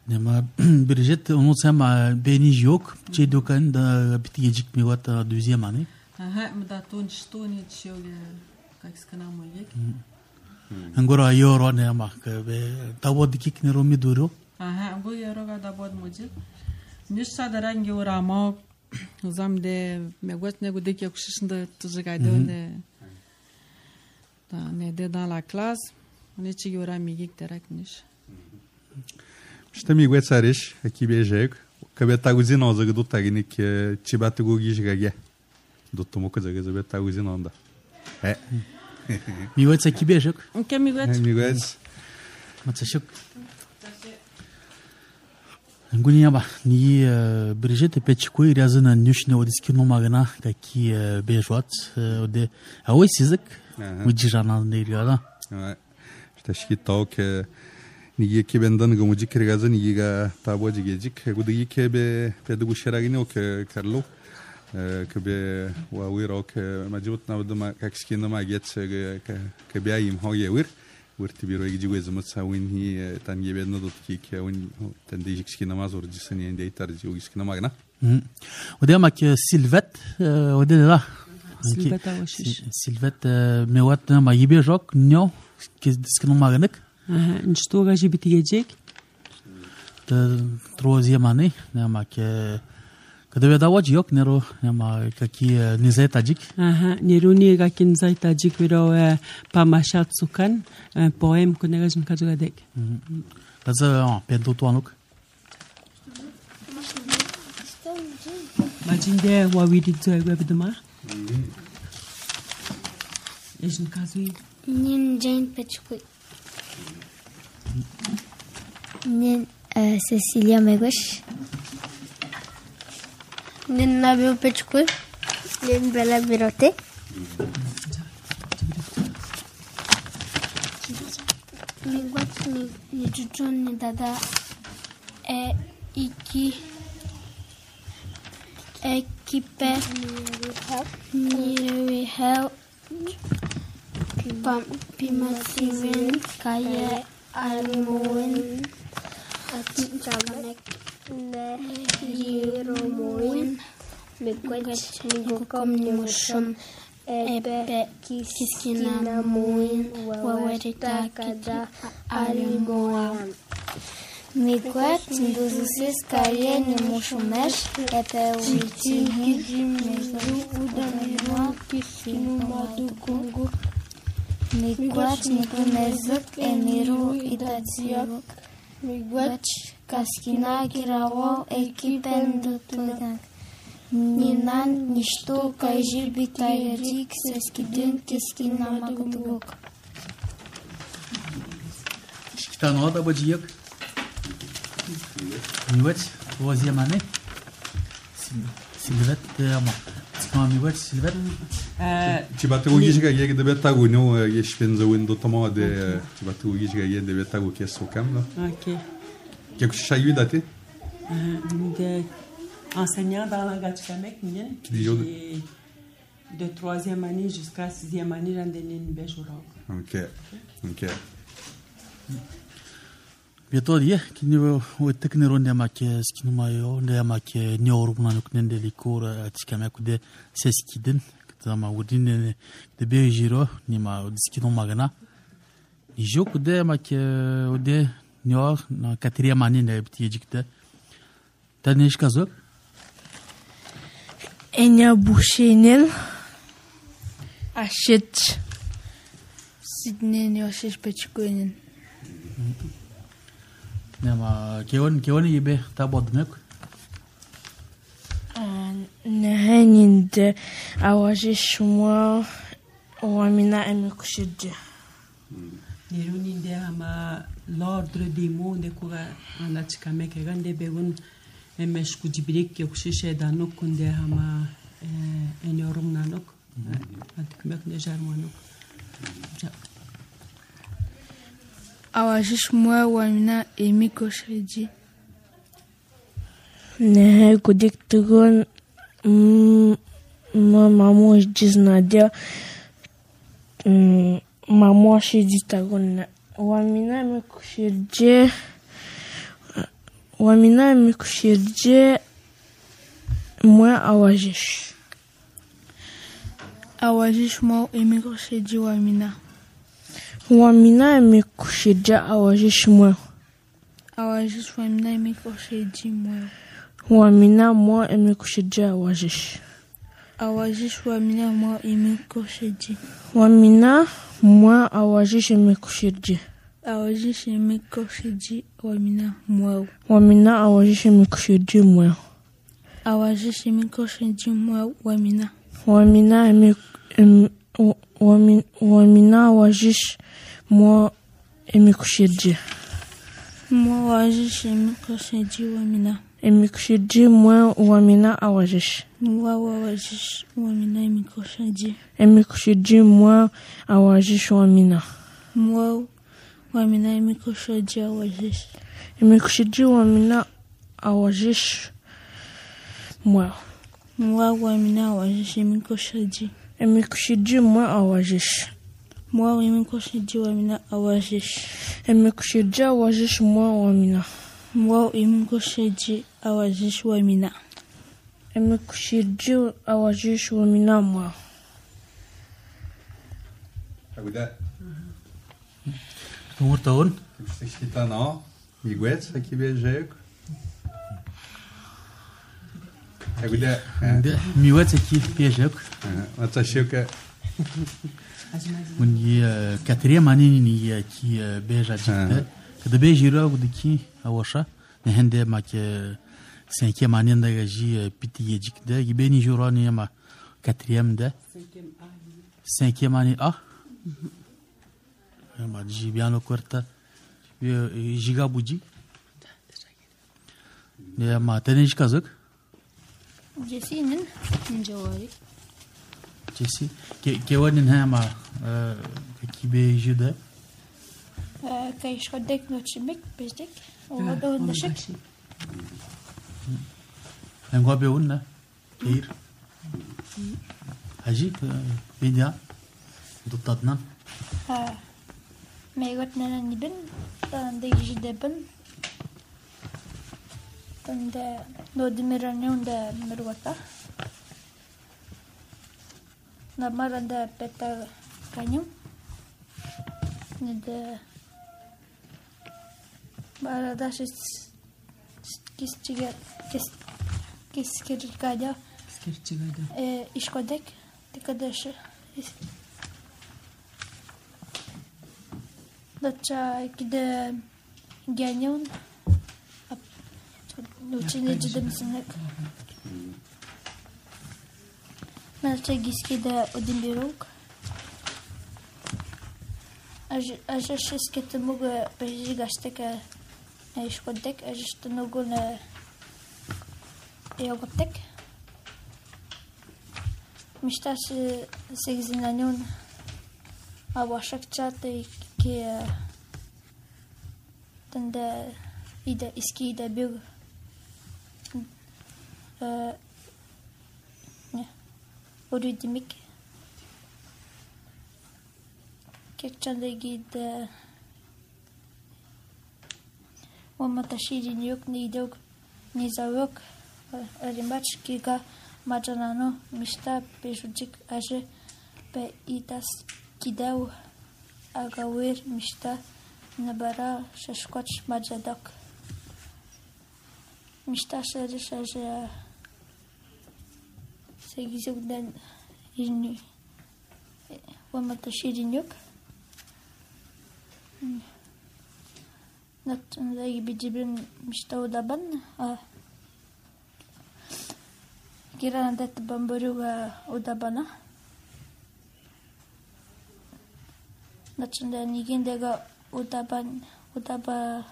Nema Brigitte onu sama beni yok. Şey dokan da bitecek mi var da deuxième année. Aha, mda ton stoni tshioge как сканamo yek. Angora yoro ne ama be tawod kik ne romi duro. Aha, go yoro ga da bod moje. Nishsa darangi uramo zamde megwet ne gudek yakshishinde tujigade ne. Da ne de dans la classe. On est yora migik terak nish. Što mi guet sarish aqui beijek que be taguzin oza do tagnik chibatu gogi jigage do tomo coisa que be taguzin onda é Mi guet aqui beijek O que mi guet mi guet Matsashuk Ngunia ba ni Brigitte pechko irazına nüşne odiski nomagana taki beijot ode awai sizek ujirana neirgada Što shkitok Nigi ke bendan gamuji kirgaza nigi ga taboji gejik gudigi ke be pedugu sheragini o ke karlo ke be wa wiro ke majut na wdma kakskina ma get ke be ayim ho yewir wirti biro giji gwezmat sawin hi tan yebe no dot ki ke un tan dijik skina ma zor jisani ende tarji o skina magna ode mak silvet ode la Silvet awashish silvet mewat ma yibe jok nyo ke skina magnak Что гажи битигежек? Та troisième année, няма ке Когда я давач yok неро няма какие не за таджик. Ага, неруни какин за таджик виро памашат сукан поем конегаж мкаджгадек. Каза пенто туанук. Мажинде вавиди зайга бидма. Ежн казуи. Нин Джейн Печкуй. Нин Cecilia Megush. Nin Nabil Pechkui. Nin Bella Virote. Miguat ni Chuchun ni Dada e iki equipe ni Hel Pimativen Kaya Almoen Javanek Ne Yiromoen Migwet migukom nimushum ebe kiskina muin wawerita kada alimoan. Migwet nduzusis kaye nimushumesh ebe uiti mezu udamirwa kiskinu madukungu. Migwet nikumezuk emiru itatsiok. Migwet kaskina girawo ekipen dutugan. Ninan nishto kajir bitayarik seskidin kiskina magudugok. Şiktan o da bacı yok. Migwet o ziyamane. Silvet ama. Sıkma migwet silvet. Ci bate u giga yeg de betagu no yeshpen za window tamo de ci bate u giga yeg de betagu kesso cam no. OK. Que que chayu date? De enseignant dans la Gatchkamek, j'ai de troisième année jusqu'à sixième année dans des Béjourok. OK. OK. Bientôt dia kini o teknero ne make skinu mayo ne make nyoru na nuk nende likora atskame kude seskidin tama udin de bejiro ni ma skinu magana ni joku de make ode nyor na quatrième année ne bitijikte tanish kazok Enya bushenel ashit sidnen yoshish pechkoinen Nema keon keon ibe tabodmek. Nehanin de awajish moi wamina emikushije. Niruni de ama l'ordre des mots de kura en Gatchkamek gande begun emesh kujibrik yokushishe danok kunde ama enyorum nanok. Atkumek ne jarmanok. Awajish moi wamina emikushije. Nehe kudik tugon mamu jiznadia mamu shiditagon wamina emikushije wamina emikushije moi awajish awajish moi emikushije wamina Wamina emikushije awajish moi awajish wamina emikushije moi Wamina moi emikushije awajish awajish wamina moi emikushije Wamina moi awajish emikushije awajish emikushije wamina moi Wamina awajish emikushije moi awajish emikushije moi wamina Wamina emik wamina awajish moi emikushije moi awajish emikushije wamina emikushije moi wamina awajish moi awajish wamina emikushije emikushije moi awajish wamina moi wamina emikushije awajish emikushije wamina awajish moi moi wamina awajish emikushije emikushije moi awajish moi emikushije wamina awajish emikushije awajish moi wamina moi emikushije awajish wamina emikushije awajish wamina moi Aguda. Tumur tahun Kita no migwet aqui bejek. Aguda. miwet aqui pejek. Atashika من ي quatrième année ni qui beja jikte de bejira udiki awasha nehende ma ke cinquième année da ji piti jikte gibeni jurani ma quatrième de cinquième année a ma ji bien quarta jiga buji ne ma tenish kazak Jesinin njawari Jesse ke ke wadin ha ma ki bejude كي شدك نوتشمك بيجدك وهذا النشك نقول بيقولنا كير هجي بيديا ضدنا ما يقولنا نبن عندك جدبن عند نود مراني عند مروتا na maranda peta kanyu. Nede maranda shis kis chiga kis kis kirkada. Skirchigada. E ishkodek tikadash. Dacha kide ganyon. Учение жидемсинек. Малче гискида один бирок. Аж аж шескете мога прижигаштека ешкодек, аж што много на йоготек. Мишта се сегзинанyon авашакчата ки танда ида иски да бил не оридимик кекчандеги да оматашири ньюк не идег не завок римач кига маджанано мишта пешуджик аже пе итас кидау агауир мишта набара шашкоч маджадок мишта шаже шаже сегизугден ирни вамата ширинюк наттан да гибиджибин мишта удабан а киранадет бамбурюга удабана наттан да нигиндега удабан удаба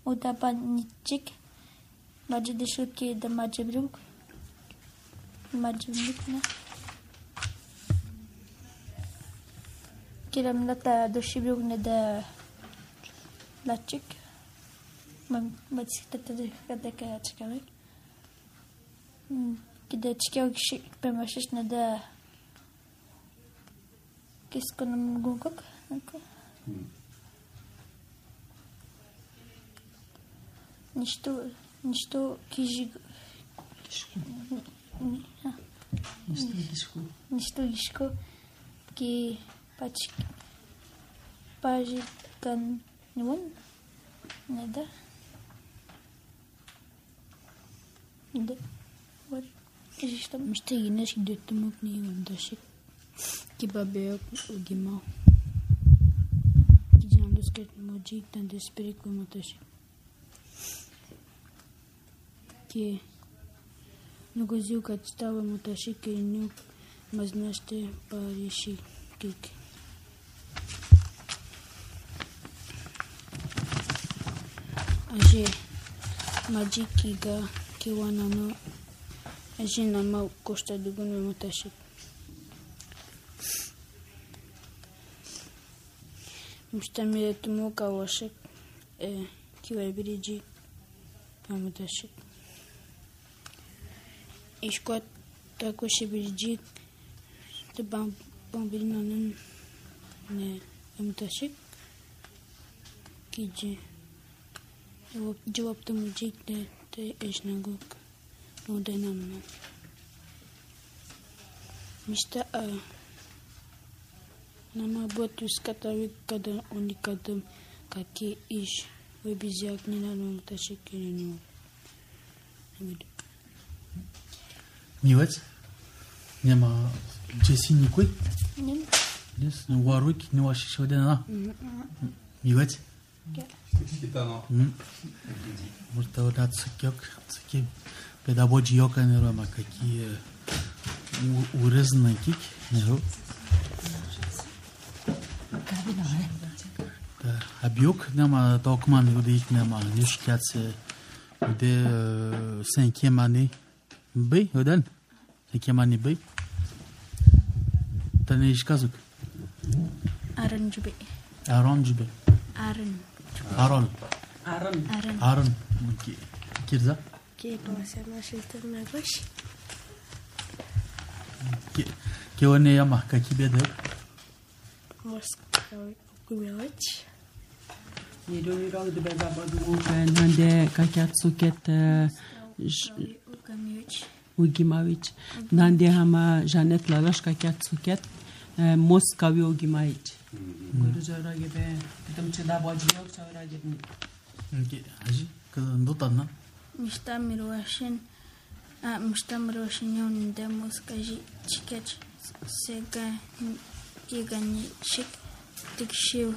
удабан ничик Маджидишуки да маджибрук. Маджибрук, не? Кирам ната дошибрук не да лачик. Мациката да кадека ячкавек. Кида чикел киши пемашиш не да киско на мгукок. Нищо Нищо кижи... Нищо гишко. Нищо гишко. Ки пачи... Пажи кан... Нивон? Не да. Да. Вот. Кажи что? Мишта гинеш гидетумук не вандашик. Ки бабеок угимал. Ки джандускет моджи тандеспирик уматашик. Que no goziu que estava muito chique e não mas neste parece que age magikiga que wana no age na mau costa do gono muito chique mustamire tumo kawashik e que vai biriji muito chique Ишкот тако ще биджик те бам бамбилнанын не эмташик киджи жавап жавапты мужик те те эшнагук ноденамна мишта а нама ботус катавик када уникадым каки иш вебизяк не на эмташик киреню Нивец? Няма Джеси никой? Няма. Днес не уаруйки, не ваши ще бъде на. Нивец? Китано. Може да дадат съкьок, съки педагоги йока не рома, каки урезна кик, не ро. А бюк няма толкова не удих, няма нищо, кят се уде cinquième année. Бей, оден? Cinquième année бей? Та не изказук? Арон джубе. Арон джубе. Арон. Арон. Арон. Арон. Арон. Кирза? Ке класема шилтер нагош. Ке оне яма, каки беде? Моска кумелоч. Ni do ni rong de beba badu kan hande kakatsuket Камиоч. Ugimawicz. Dann die haben Janet Lalashka Katsuket, Moskawi Ugimawicz. Gurujara gebe, tam chida bajiyok chawra gebe. Haji, kado tanna. Mishtamir washin, ah mishtamir washin yon de Moskaji chikech sega kigani chik tikshiu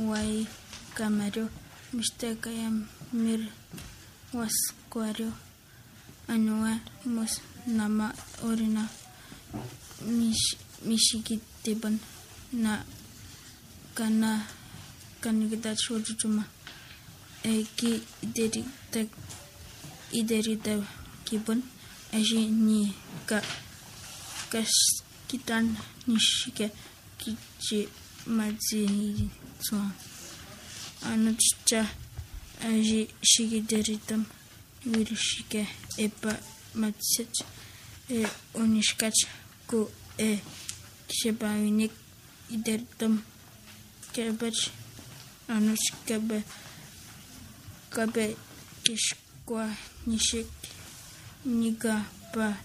wai kamario misteka yam mir waskwario anua mos nama orina mish mishigitiban na kana kanigda chujuma eki ideri tak ideri da kibun aji ni ka kas kitan nishike kichi mazi so anucha aji shigideritam wirishike epa matsech e onishkach ko e shebawinik ideritam kebach anuch kebe kabe kishkwa nishik niga pa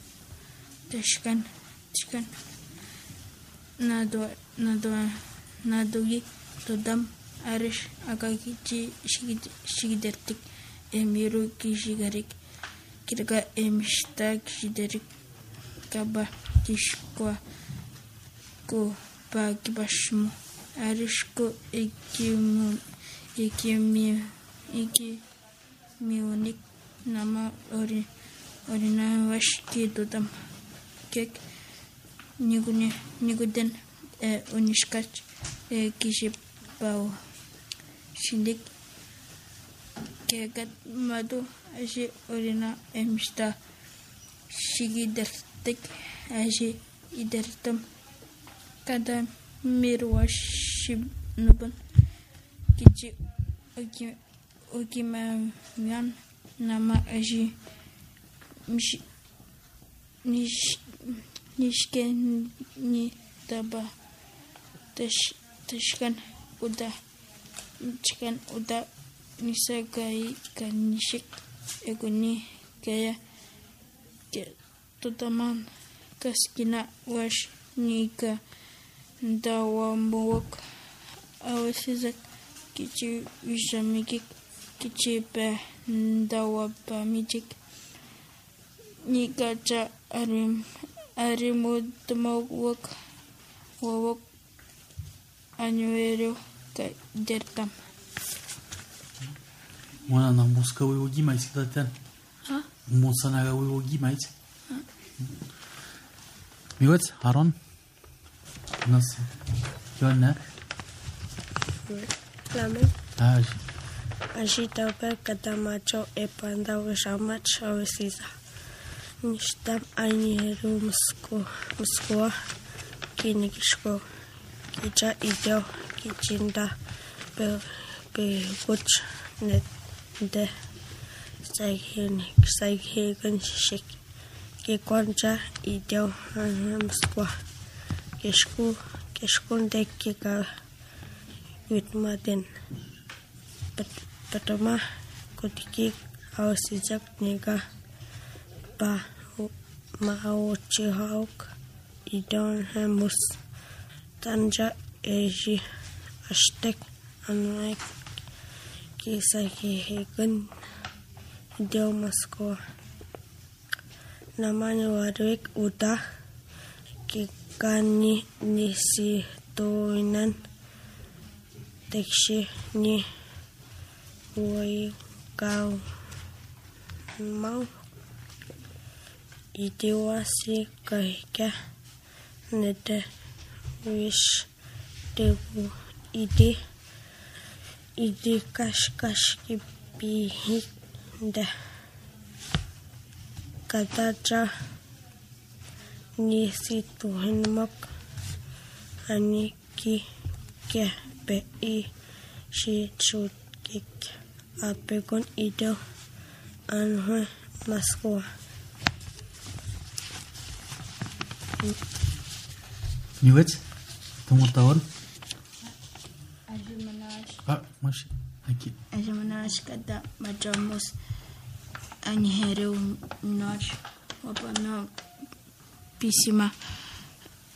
tashkan tashkan nado nado nadogi todam arish agagi ji shigid shigidertik emiru kishigarik kirga emishta kishiderik kaba kishkwa ko pa kibashmu arish ko ekimu ekimi eki miunik nama ori orina wash ki dodam kek nigune niguden e onishkach e kishipao shindik kegat madu aji orina emista shigidertik aji idertam kada mirwashib nuban kichi oki oki man nama aji mish nish nishke ni taba tash tashkan uda chkan uda nisagai kanishik eguni kaya ke totaman kaskina wash nika dawambuok awasizak kichi wishamikik kichi pe dawapamijik nika cha arim arimudmawak wawak anuero ka dertam Mwana na muska we ogi mais daten. Ha? Musa na we ogi mais. Migot Haron. Nas. Yonna. Lamen. Aj. Ajita pe katamacho e panda we shamat shavesiza. Nishtam ainieru musko musko kinikishko kicha ideo kichinda pe pe goch net de saihen saihen shik ke konja ideo musko kishku kishkun de kika witmaden patama kotiki awsijak nega pa maochi hauk idon hamus tanja eji ashtek anak kisah hegen ideo Moskwa namanya Warwick udah kikani nisi toinan tekshi ni woi kau mau ideasi kahika nete wish debu ide ide kash kash ki pihi da kataja ni situ henmak ani ki ke pe i shi chut kik apegon ido anhe Moskwa Migot Tunggu tahun Ajimanash Ah masih Aki Ajimanash kada majamus anheru noj wapana pisima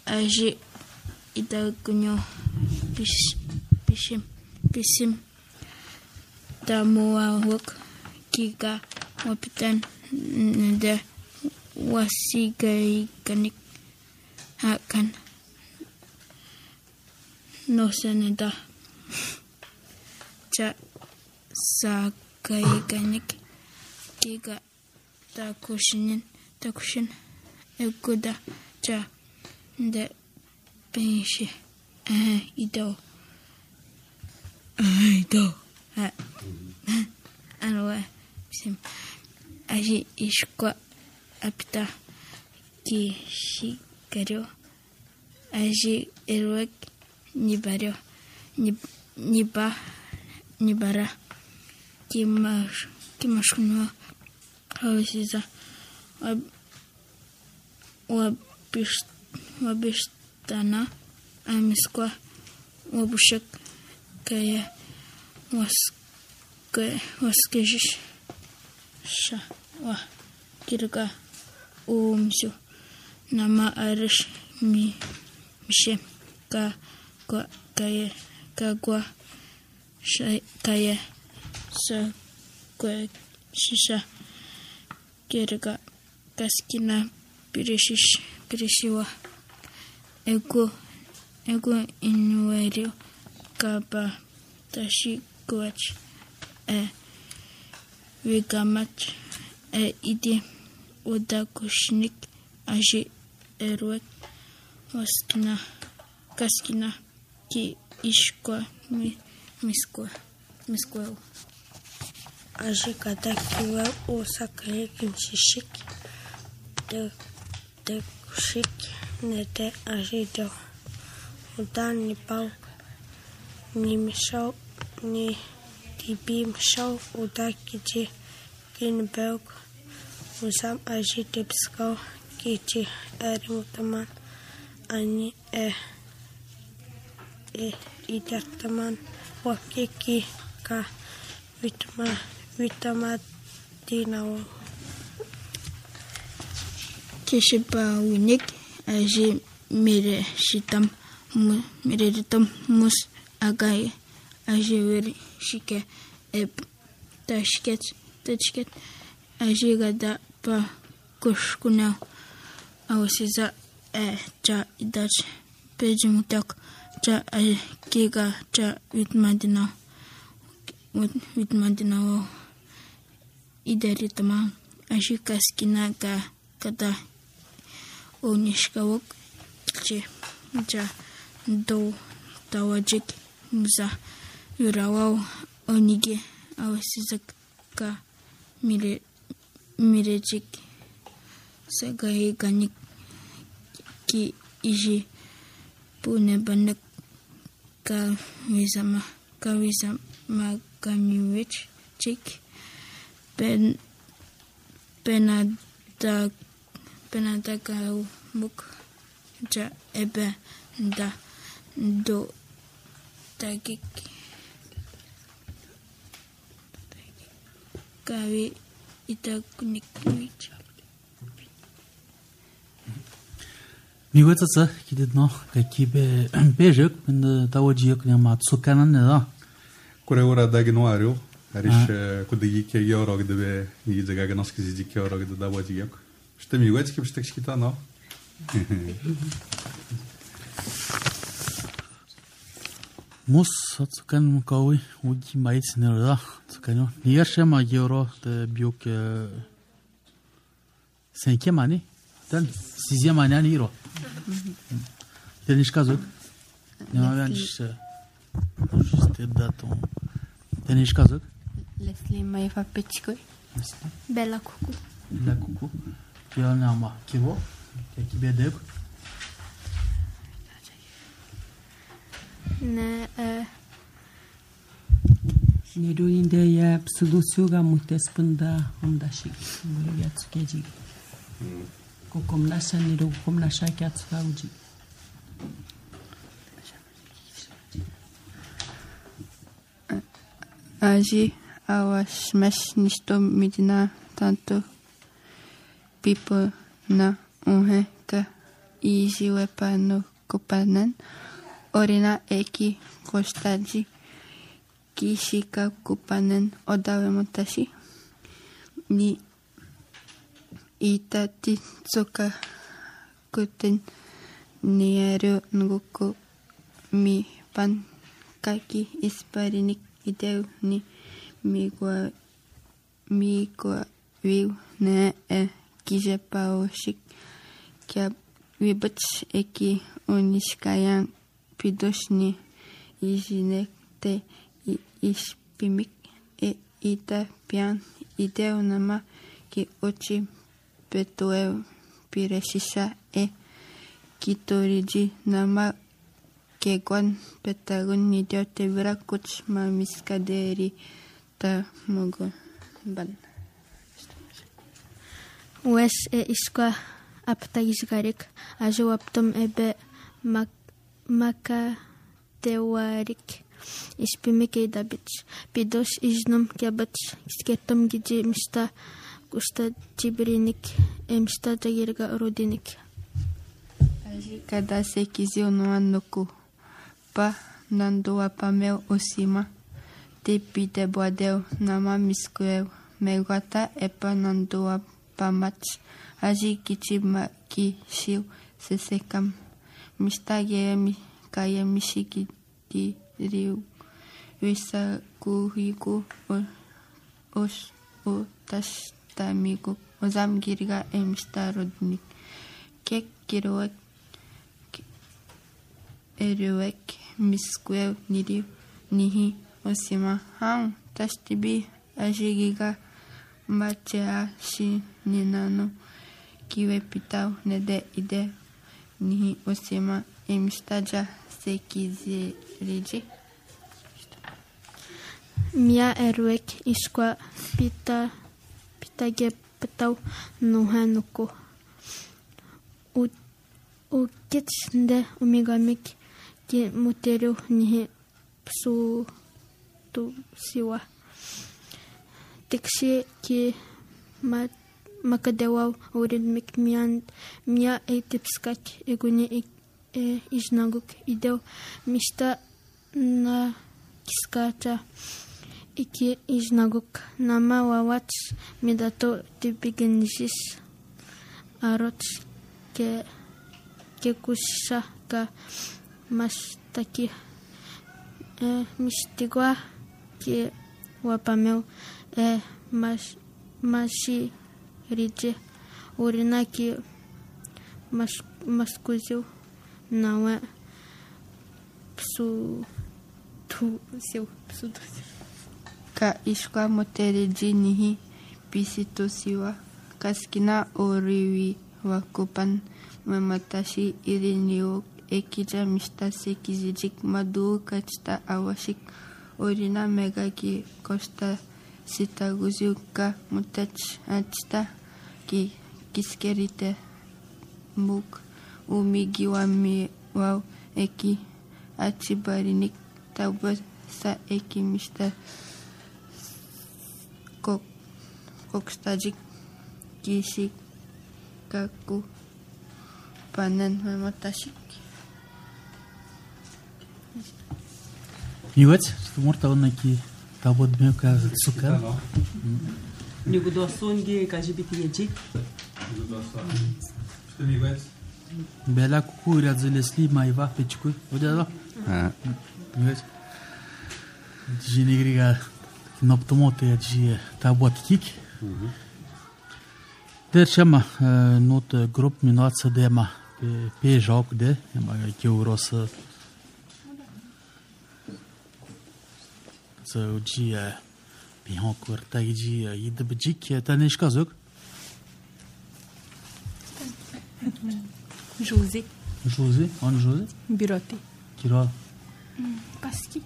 aji ita kunyo pis pisim pisim tamuwa wak kika wapitan nda wasigai kanik akan no seneda cha sagai kanik kika takushinin takushin ekuda cha nda penshi ah ido ah ido ah anwa sim aji ishkwa apita ki shikario aji erwek nibario niba nibara kimash kimashkunwa hausiza wabish wabishtana amiskwa wabushak kaya waske waskejish sha wa kirga umsu nama arish mi mishe ka kwa kaya ka kwa sha kaya sa kwa shisha kirga kaskina pirishish pirishiwa ego ego inuerio kaba tashi kwach e Vigamat e ide oda kushnik aji erwek waskina kaskina ki ishkwa mi miskwa miskwa aji kada kiwa osaka kinshishik de de kushik nete aji do oda ni pau ni misau ni Tibim shau oda kiji kinberg usam aji tipsko kiji erimutaman ani e e idartaman wakiki ka vitma vitama dinawo kishipa winik aji mere shitam mere shitam mus agai aji veri shike e tashket tashket aji gada pa kushkuna awsiza e cha idach pejimutak cha kiga cha vitmadina vitmadina idaritama aji kaskina ka kada onishkawok che cha do tawajik muza yurawao onige awasizak ka mire mirejik sagai ganik ki iji pune banak ka wisama ka wisama kamiwich chik pen penada penada ka muk ja ebe da do tagik kawi ita kunik kuich mi wetsa tsa kidit no ka kibe bejek bin tawajiyek ne ma tsukanan ne da kure ora dagnuario arish kudigi ke yoro gdebe ni zaga gnoski zidik yoro gdebe tawajiyek что mi wetsa kibshtek shkita no Mus tsukan kawi uji mait sinera tsukanyo niyarshe ma yoro de biok cinquième année dan sixième année ani iro tenish kazuk niyaransh juste daton tenish kazuk Leslie Maifa Petchikoy Bella Kuku Bella Kuku Piona ma kivo kibedek ne Niruinde ya psulusuga mutespunda omdashi ya tsukeji ko komnasha niru komnasha kyatsuga uji aji awas mesh nisto midina tanto pipo na uhe ka iisiwe pano kopanan orina eki kostaji kishika kupanen odawe motashi ni itati tsoka kuten niero nguko mi pan kaki isparinik ideu ni migwa migwa viu ne e kije paoshik kya vibach eki onishkayan pidoshni ijinek te ispimik e ita pian ideu nama ki ochi petoeu pireshisha e kitoriji nama kegwan petagun nidio te virakuch ma miskaderi ta mogo ban. Wes e iskwa apta isgarik ajo aptum ebe mak maka tewarik ispimike dabich pidos iznum kebach sketum giji mista kusta tibrinik emsta tagirga rodinik aji kada se kizio no anoku pa nando apamel osima te pite boadeu nama miskueu megata epa nando apamach aji kichima ki shiu sesekam mista gemi kaya mishiki di riu wisa kuhiku os o tas tamigo ozam girga emsta rodnik kek kiroek eruek miskueu niriu nihi osima hang tastibi ajigiga machea shi ninano kiwe pitau nede ide nihi osima emstaja sekizeriji mia eruek iskwa pita pitage petau nuhanuko u u kitnde umigamik ki muteru nihi su tu siwa tekshi ki ma makadewa urin mik mian mia etipskat eguni e iznaguk ideu mista na kiskata iki iznaguk nama wawat midato tipigenjis arot ke ke kusha ka mastaki e mistigwa ke wapameu e mas mashi rije urina ki mas maskuziu nawa psu tu seu psu tu ka ishka motereji nihi pisito siwa kaskina oriwi wakupan mamatashi irinio ekija mista sekizijik madu kachta awashik orina megaki kosta sitaguziu ka mutach achta ki kiskerite muk umigiwami wow eki achibarinik tauba sa eki mista kok kokstajik kishik kaku panen mamatashik Iwet, tu morta ona ki tabod meu ka sukar. Ni gudosun ge kajibiti yejik. Bela cucu razilesli mai va pe cicu. Uite da. Ah. Vezi? Genegriga noptomote ji tabot kik. Mhm. Der chama not grup minut să dema pe pe joc de, mai că uros să uji pe hocur taigi id bjik taneș kazuk. José. José, on José? Biroti. Kiro. Paski.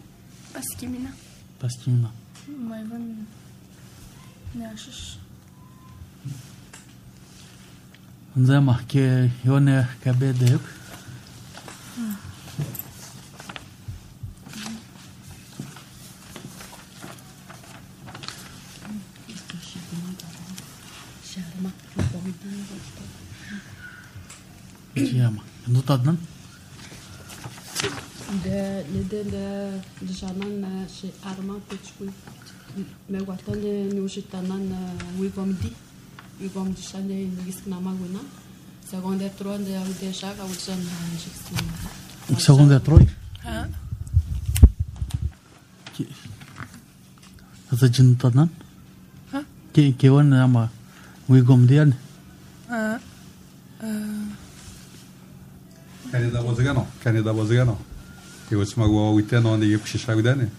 Paski mina. Paski mina. Mai van neașăș. Înțeama că eu ne cabe de eu. Jema. Nu tadnan? De de de de janan și arma pe cui me guardale nu și tanan we gomdi we gomdi shale ni skna maguna seconde tron de au deja ca usan și Seconde troi? ha Asta ce nu tadnan? Ha? Ke ke wan ama we gomdi an? ha Canada Bozgano, Canada Bozgano. Eu să mă gua uite nu unde e cu și șagudane.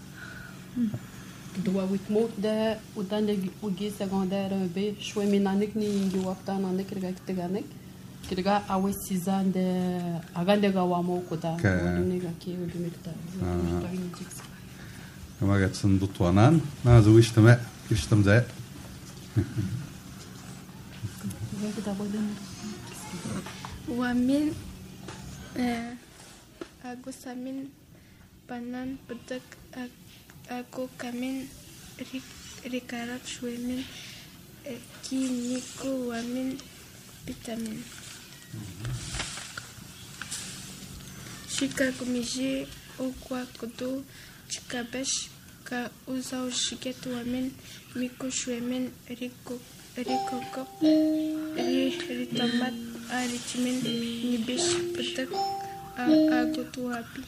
Dua uit mo de udan de ugi secundaire be shwe minanik ni ngi wapta na ne kirga kiteganek kirga awe sizan de agande ga wamo kuta wani ga ke udu mikta Kama gatsun dutuanan, na zu işteme, iştem zay. Wamin agusamin panan petek aku kamin rikarat shwemin kiniko wamin vitamin shika kumiji okwa kudu chikabesh ka uzau shiket wamin miko shwemin riko rikokop ritamat arichimin nibish petek agutu api.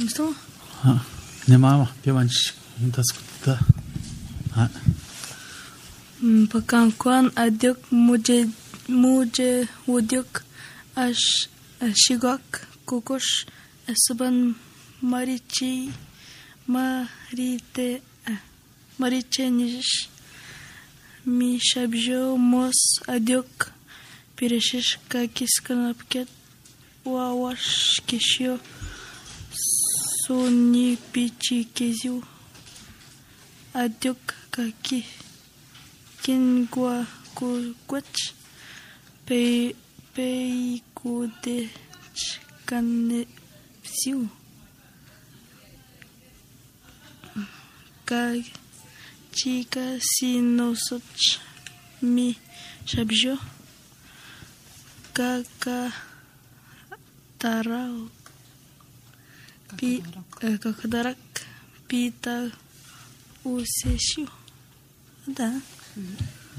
Isso? Ha. Ne mama, pe manci, da scută. Ha. Pakan kwan adyok muje muje udyok ash shigok kukush suban marichi marite mariche nish mi shabjo mos adyok pireshish ka kiskanapket wawash kishyo Suni pichi keziu adyok kaki kingwa kukwach pe pe kude chkane siu ka chica sinosoch mi shabjo kaka tarao Pi kakadarak pita useshu. Da.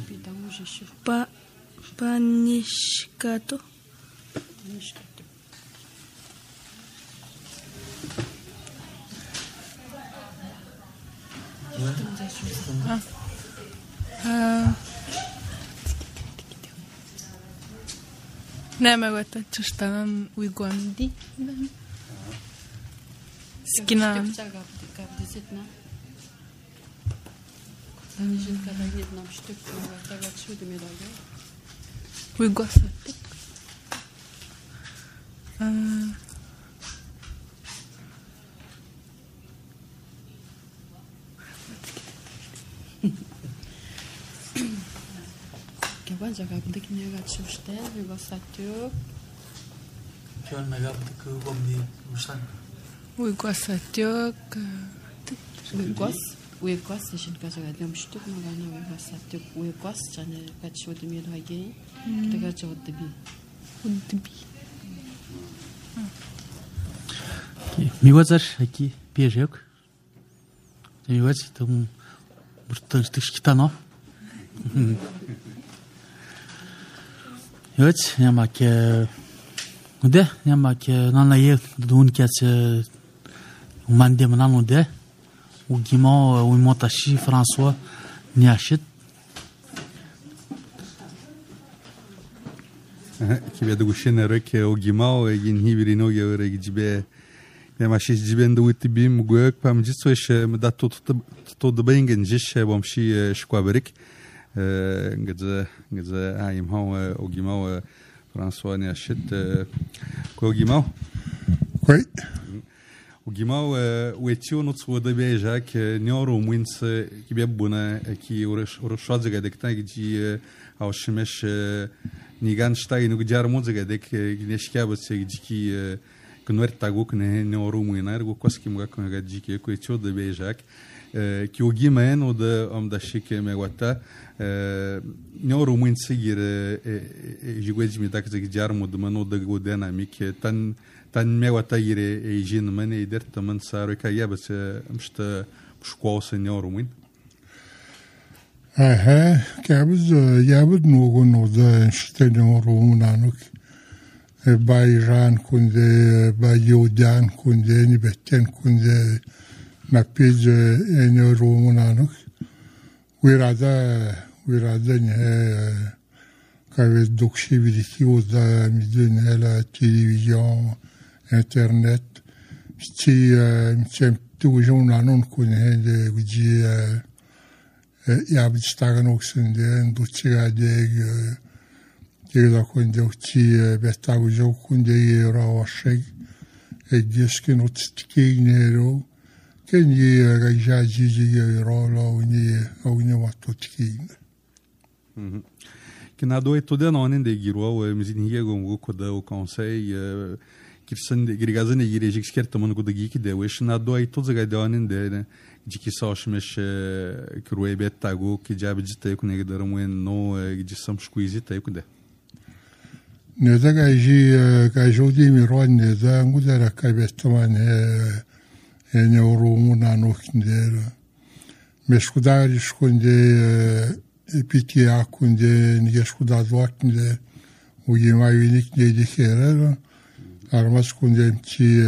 Pita useshu. Pa panishkato. Panishkato. Ah. Ah. Nema gota čuštanan u Igomdi. Skina. We go set. Uh, Kevan jaga bıdık ne gat şuşte, we go set. Kevan mega bıdık gomdi ustan. We go set. We go we go session ka jaga dem shtuk magana we go set. We go chane gat şodu mi hage. Daga çod bi. Udbi. Miłazar aqui piejek. Miłaz tam burtan sztykitano. Evet, няма ке Уде, няма ке нана е дун ке се уманде манано де. Угимо уимоташи Франсуа Няшит. Ki be duguşene reke o gimao egin hibirino ge ore gibe ne mashi giben do utibim gök pam jitso eş da to to da bengen jish bom shi shkwaberik ngeze ngeze ayim ha o gimao François ne ashit ko o gimao Oui. O gimao uetio no tsu da beja ke nyoro mwins ki be buna ki orosh oroshodze ga dekta gi au shimesh Nigan ștai nu gjar muzica de că gneșcheabă se giki convert taguk ne ne orumu inar go koski mga konga giki ko echo de bejac كيوجي مان وده أم ده شيك مغوتا نورو من سير جوج ميداك زي جار مدمنو ده جودنا ميك تن تن مغوتا يري جين من يدر تمن سارو كيا بس مشت مش قوس نورو من اه كابز يابد نوغو نودا نشت نورو منانوك بايران كنده بايودان كنده نبتن كنده مبيج نورو منانوك ويرادا ويرادا نه كاوز دوكشي بيديكي ودا ميدون هلا تلفزيون انترنت تي متم توجون نانون كون هند وجي يابد ستاغنوك سنده ندوتشي ديك كيدا كنده وتي بتاوجو كنده يراوشك اجيسكي نوتستكي نيرو كان يرجع جيجي يرولا وني وني واتوتكين كنا دوي تودا نونين دي غيروا ومزين هي غونغو كودا او كونساي كيرسن دي غريغازن يريجيك سكرت من كودا جيكي دي وش نا دوي توزا غادانين دي جيكي ساش مش كروي بيتاغو كي جاب جتا يكون يقدروا وين نو جسم شكويزي تا يكون ده نذا جاي كاجودي ميرون نذا غودرا كايبتمان نورو منانوك ندير مش كدار شكوندي بيتيا كوندي نيش كدار دوات ندير ويما يونيك ندير خيرا أرمس كوندي امتي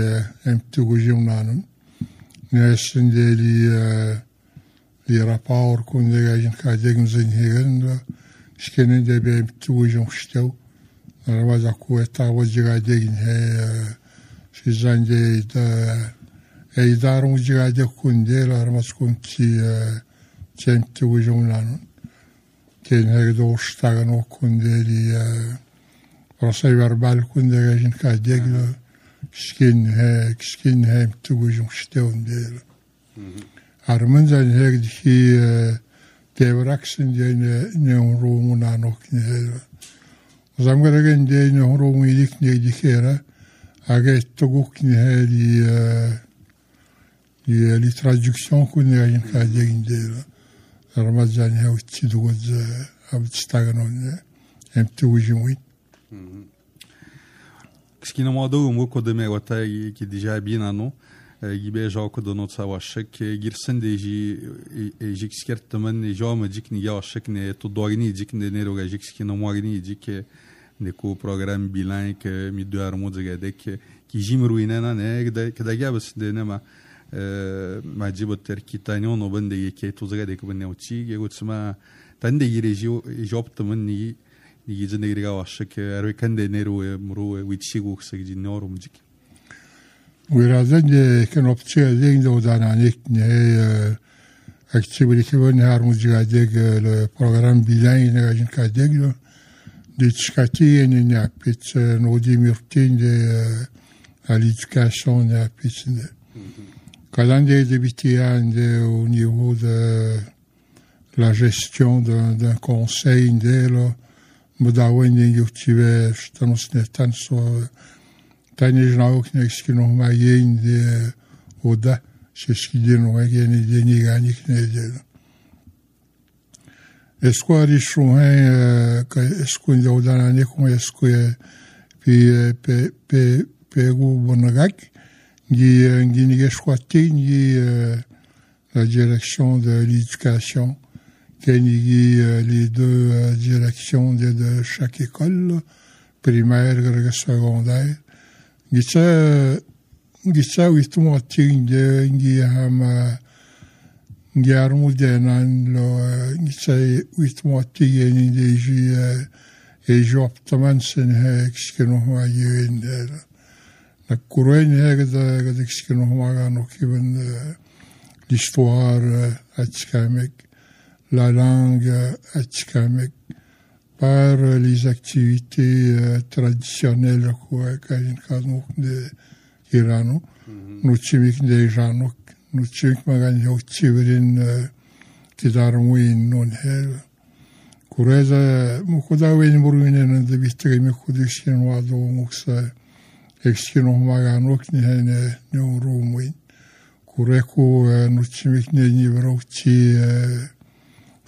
امتي وجي منانون ناس ندير لي لي رابور كوندي جايين كاديك مزين هيغن شكين ندير بامتي وجي مشتاو أرمس أكو تاوجي كاديك هي شيزان دي دا إدارة مجرد كوندي لارمس كونتي تيمتي وجونانون كين هيدو شتاغنو كوندي لي راسي بربال كوندي غاجين كاديك شكين هيك شكين هيك توجون شتاون دير أرمن زين هيك دي تيبراكسن دي نيورو منانو كنير زامغرغن دي نيورو ميديك ني دي خيرا أجا توغوك ني لي لي لي ترادكسيون كنا غادي كادي ندير رمضان هاو تيدوز اب تستغنون ام توجوين كسكينا مودو مو كودمي وتا كي ديجا بينانو يبي جاو كدو نوت سواشك غيرسن ديجي جيك سكرت من جاو جيك ني ياشك ني تو دوغني جيك ني نيرو جيك سكينا موغني جيك نيكو بروغرام بيلان كي ميدو ارمو زغادك كي جيمروينانا ني كدا جابس دينما ما جيبو تركي تانيون وبندي كي توزغا ديك بني وتشي يقول سما تندي يريجيو جوبت مني يجي نيرغا واشك اروي كاندي نيرو مرو ويتشيغو سجي نورو مجيك ويرازن كان اوبتشي دين دو دانانيك ني اكتيبلي كبن هار مجيغا ديك البروغرام بيلان نغاجين كاديك دي تشكاتي ني نابيت نودي ميرتين دي à l'éducation et quand on est débuté au niveau de la gestion d'un, d'un conseil, là, Modawen et Yotive, je t'annonce ne tant soit, tant les gens qui n'existent pas maillé de Oda, c'est ce qui dit nous qu'il y a des négani qui n'est pas. Est-ce qu'on a des chouins, est-ce qu'on a dans l'année, est-ce que puis pe pe Pérou Bonagak, qui qui choisi ni la direction de l'éducation, qui les deux directions de, de chaque école, primaire et secondaire. Qui ça, qui ça, oui, tout le monde de, qui a qui a remonté là, qui ça, oui, tout le monde qui des et j'optamente c'est que nous voyons la couronne هكذا que nous voyons qui l'histoire atikamek, la langue atikamek par les activités traditionnelles quoi qu'un canon de Irano nous chimik de Irano nous chimik magan yo chiverin qui darwin non her Kureza mukuda wen burwinen de bittre me kudiskin wado muksa exkino maganok ni hene no rumwin kureku nuçimik ne nivro çi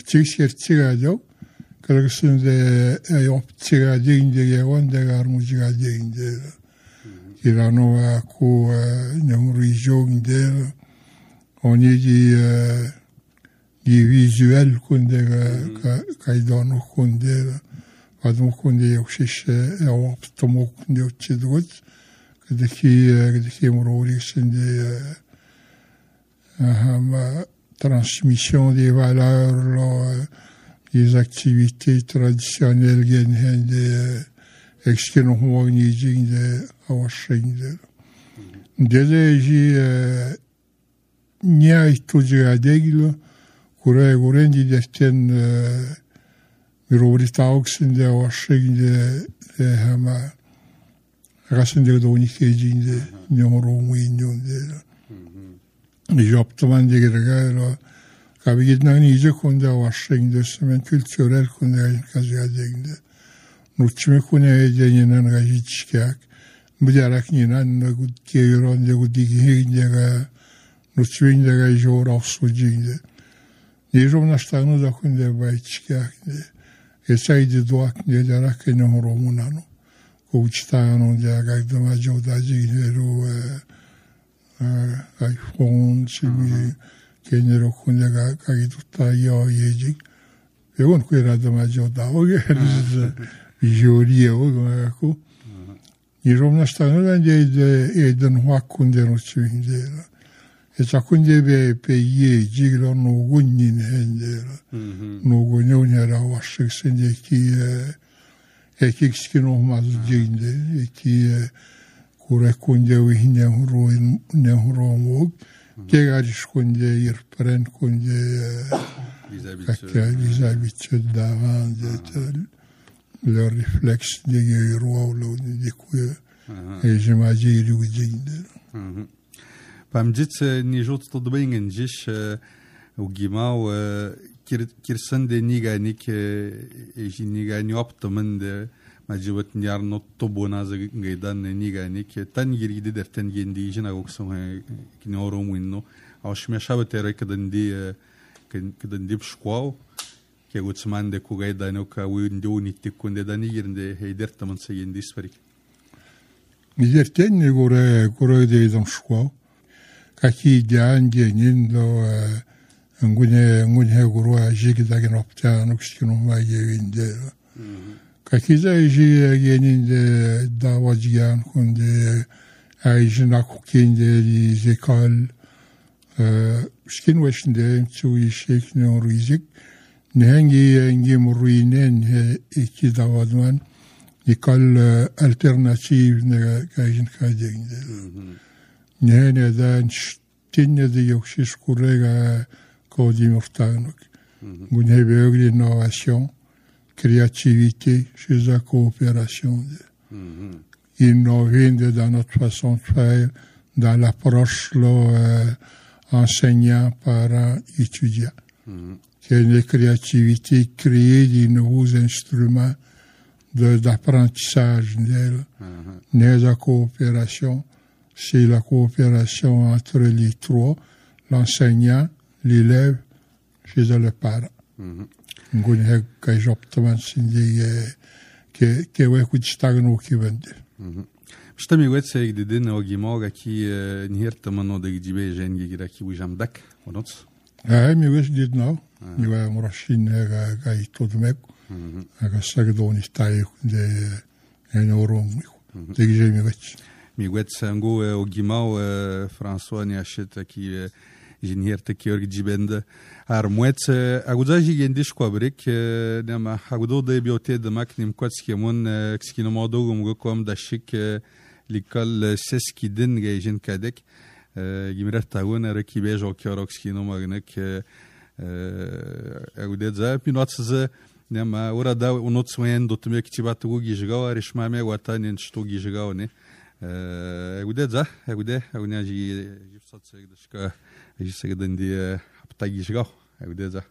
çi şerçigajo kırgısında yapçıga deyince yavan da garmuciga deyince kirano ku nemurijonde oni di di visuel kunde kaydano kunde adamı kunde yokşiş yaptım kunde uçidut kadaki kadaki mururiksinde ma transmission des valeurs les activités traditionnelles gen de eksken homogenizing de awashing de deleji nia ituja deglo kure gurendi desten miroritauxin de awashing de hama rasinde de unikejing de nyoro muinyon de yaptım diye geliyor. Kabi gitmen iyice konuda başlayınca hemen kültürel konuda kazıyadığında nuçme konuya edenen gayet çıkacak. Bu diğerak yine ne geliyor ne geliyor nuçme ne geliyor afsucuydu. Neyse naştanı da konuda bayit çıkacak. Esaydı duak ne diğerak ne horumunano. Kuçtanın diye gaydıma cevdacı gidiyor. iPhone, şimdi genel okulda kayıt tutuyor yiyecek. Ve onu kuyradım acaba o geldi. Vijoriye o gayako. Niromna stanu ben de eden hakkında uçuydu. Esakunde be peye jiglo no gunnin hende. No gunnin era başlık sendeki ekik olmaz jinde ki kure kunde uhine huro ne huro mug kegarish kunde irpren kunde kakya vizabitçe davan de le reflex de yero de kuye ejmaji yurujinde pamjit ni jot to dbingen jish ugimau kirsan de niganik ejinigani optamen de majibet nyar not to bona za gaidan niganik tan yirgide derten gendi jina gokson kinoro winno awshme shabete rekdandi kedandi bshkwao ke gutsman de ku gaidano ka windo nittikunde dani yirinde heider taman seyendi sfarik Nizerten ne gore gore de dam shkwao kaki jan genin do ngune ngune goro jigdagen opta nokskino ma yevinde Kakiza iji yeninde davacıyan kunde ayjin akukinde zekal skin weşinde çoğu işek ne oruizik ne hangi hangi muruinen iki davadman nikal alternatif ne kajin kajinde ne neden tinne de yokşiş kurega kodim ortanok gunhe beugli innovation créativité chez la coopération. Mm-hmm. Innover dans notre façon de faire, dans l'approche euh, enseignant, parents, étudiants. Mm-hmm. Qu'il y ait une créativité, créer de nouveaux instruments de, d'apprentissage. Mm-hmm. La coopération, c'est la coopération entre les trois, l'enseignant, l'élève, chez le parent. Mm-hmm. Ngun heg kai joptaman sindi ke ke we kuchtagan ukibende. Šta mi wetse gdidin ogimoga ki nihirtaman o degjibe jengi gira ki wijamdak onots. Ah mi wes did now. Mi wa murashin ga ga itodmek. Aga sagdoni stai de enorom. Degje mi wets. Mi wets ango ogimau François ni acheta ki jinhirta ki orgjibende. Armuet agudaji gendish kwabrik nema agudo de biote de maknim kwatskemon kskino modogum gokom dashik likal seskidin gejin kadek gimrat tawona rakibe jokioro kskino magnek agudedza pinotsa nema urada unotswen dotme ktibat gugi jgawa rishmame watanin shto gijgawne agudedza agude agunaji jifsat segdashka jisegdandi Tagișgau, ai vedeți,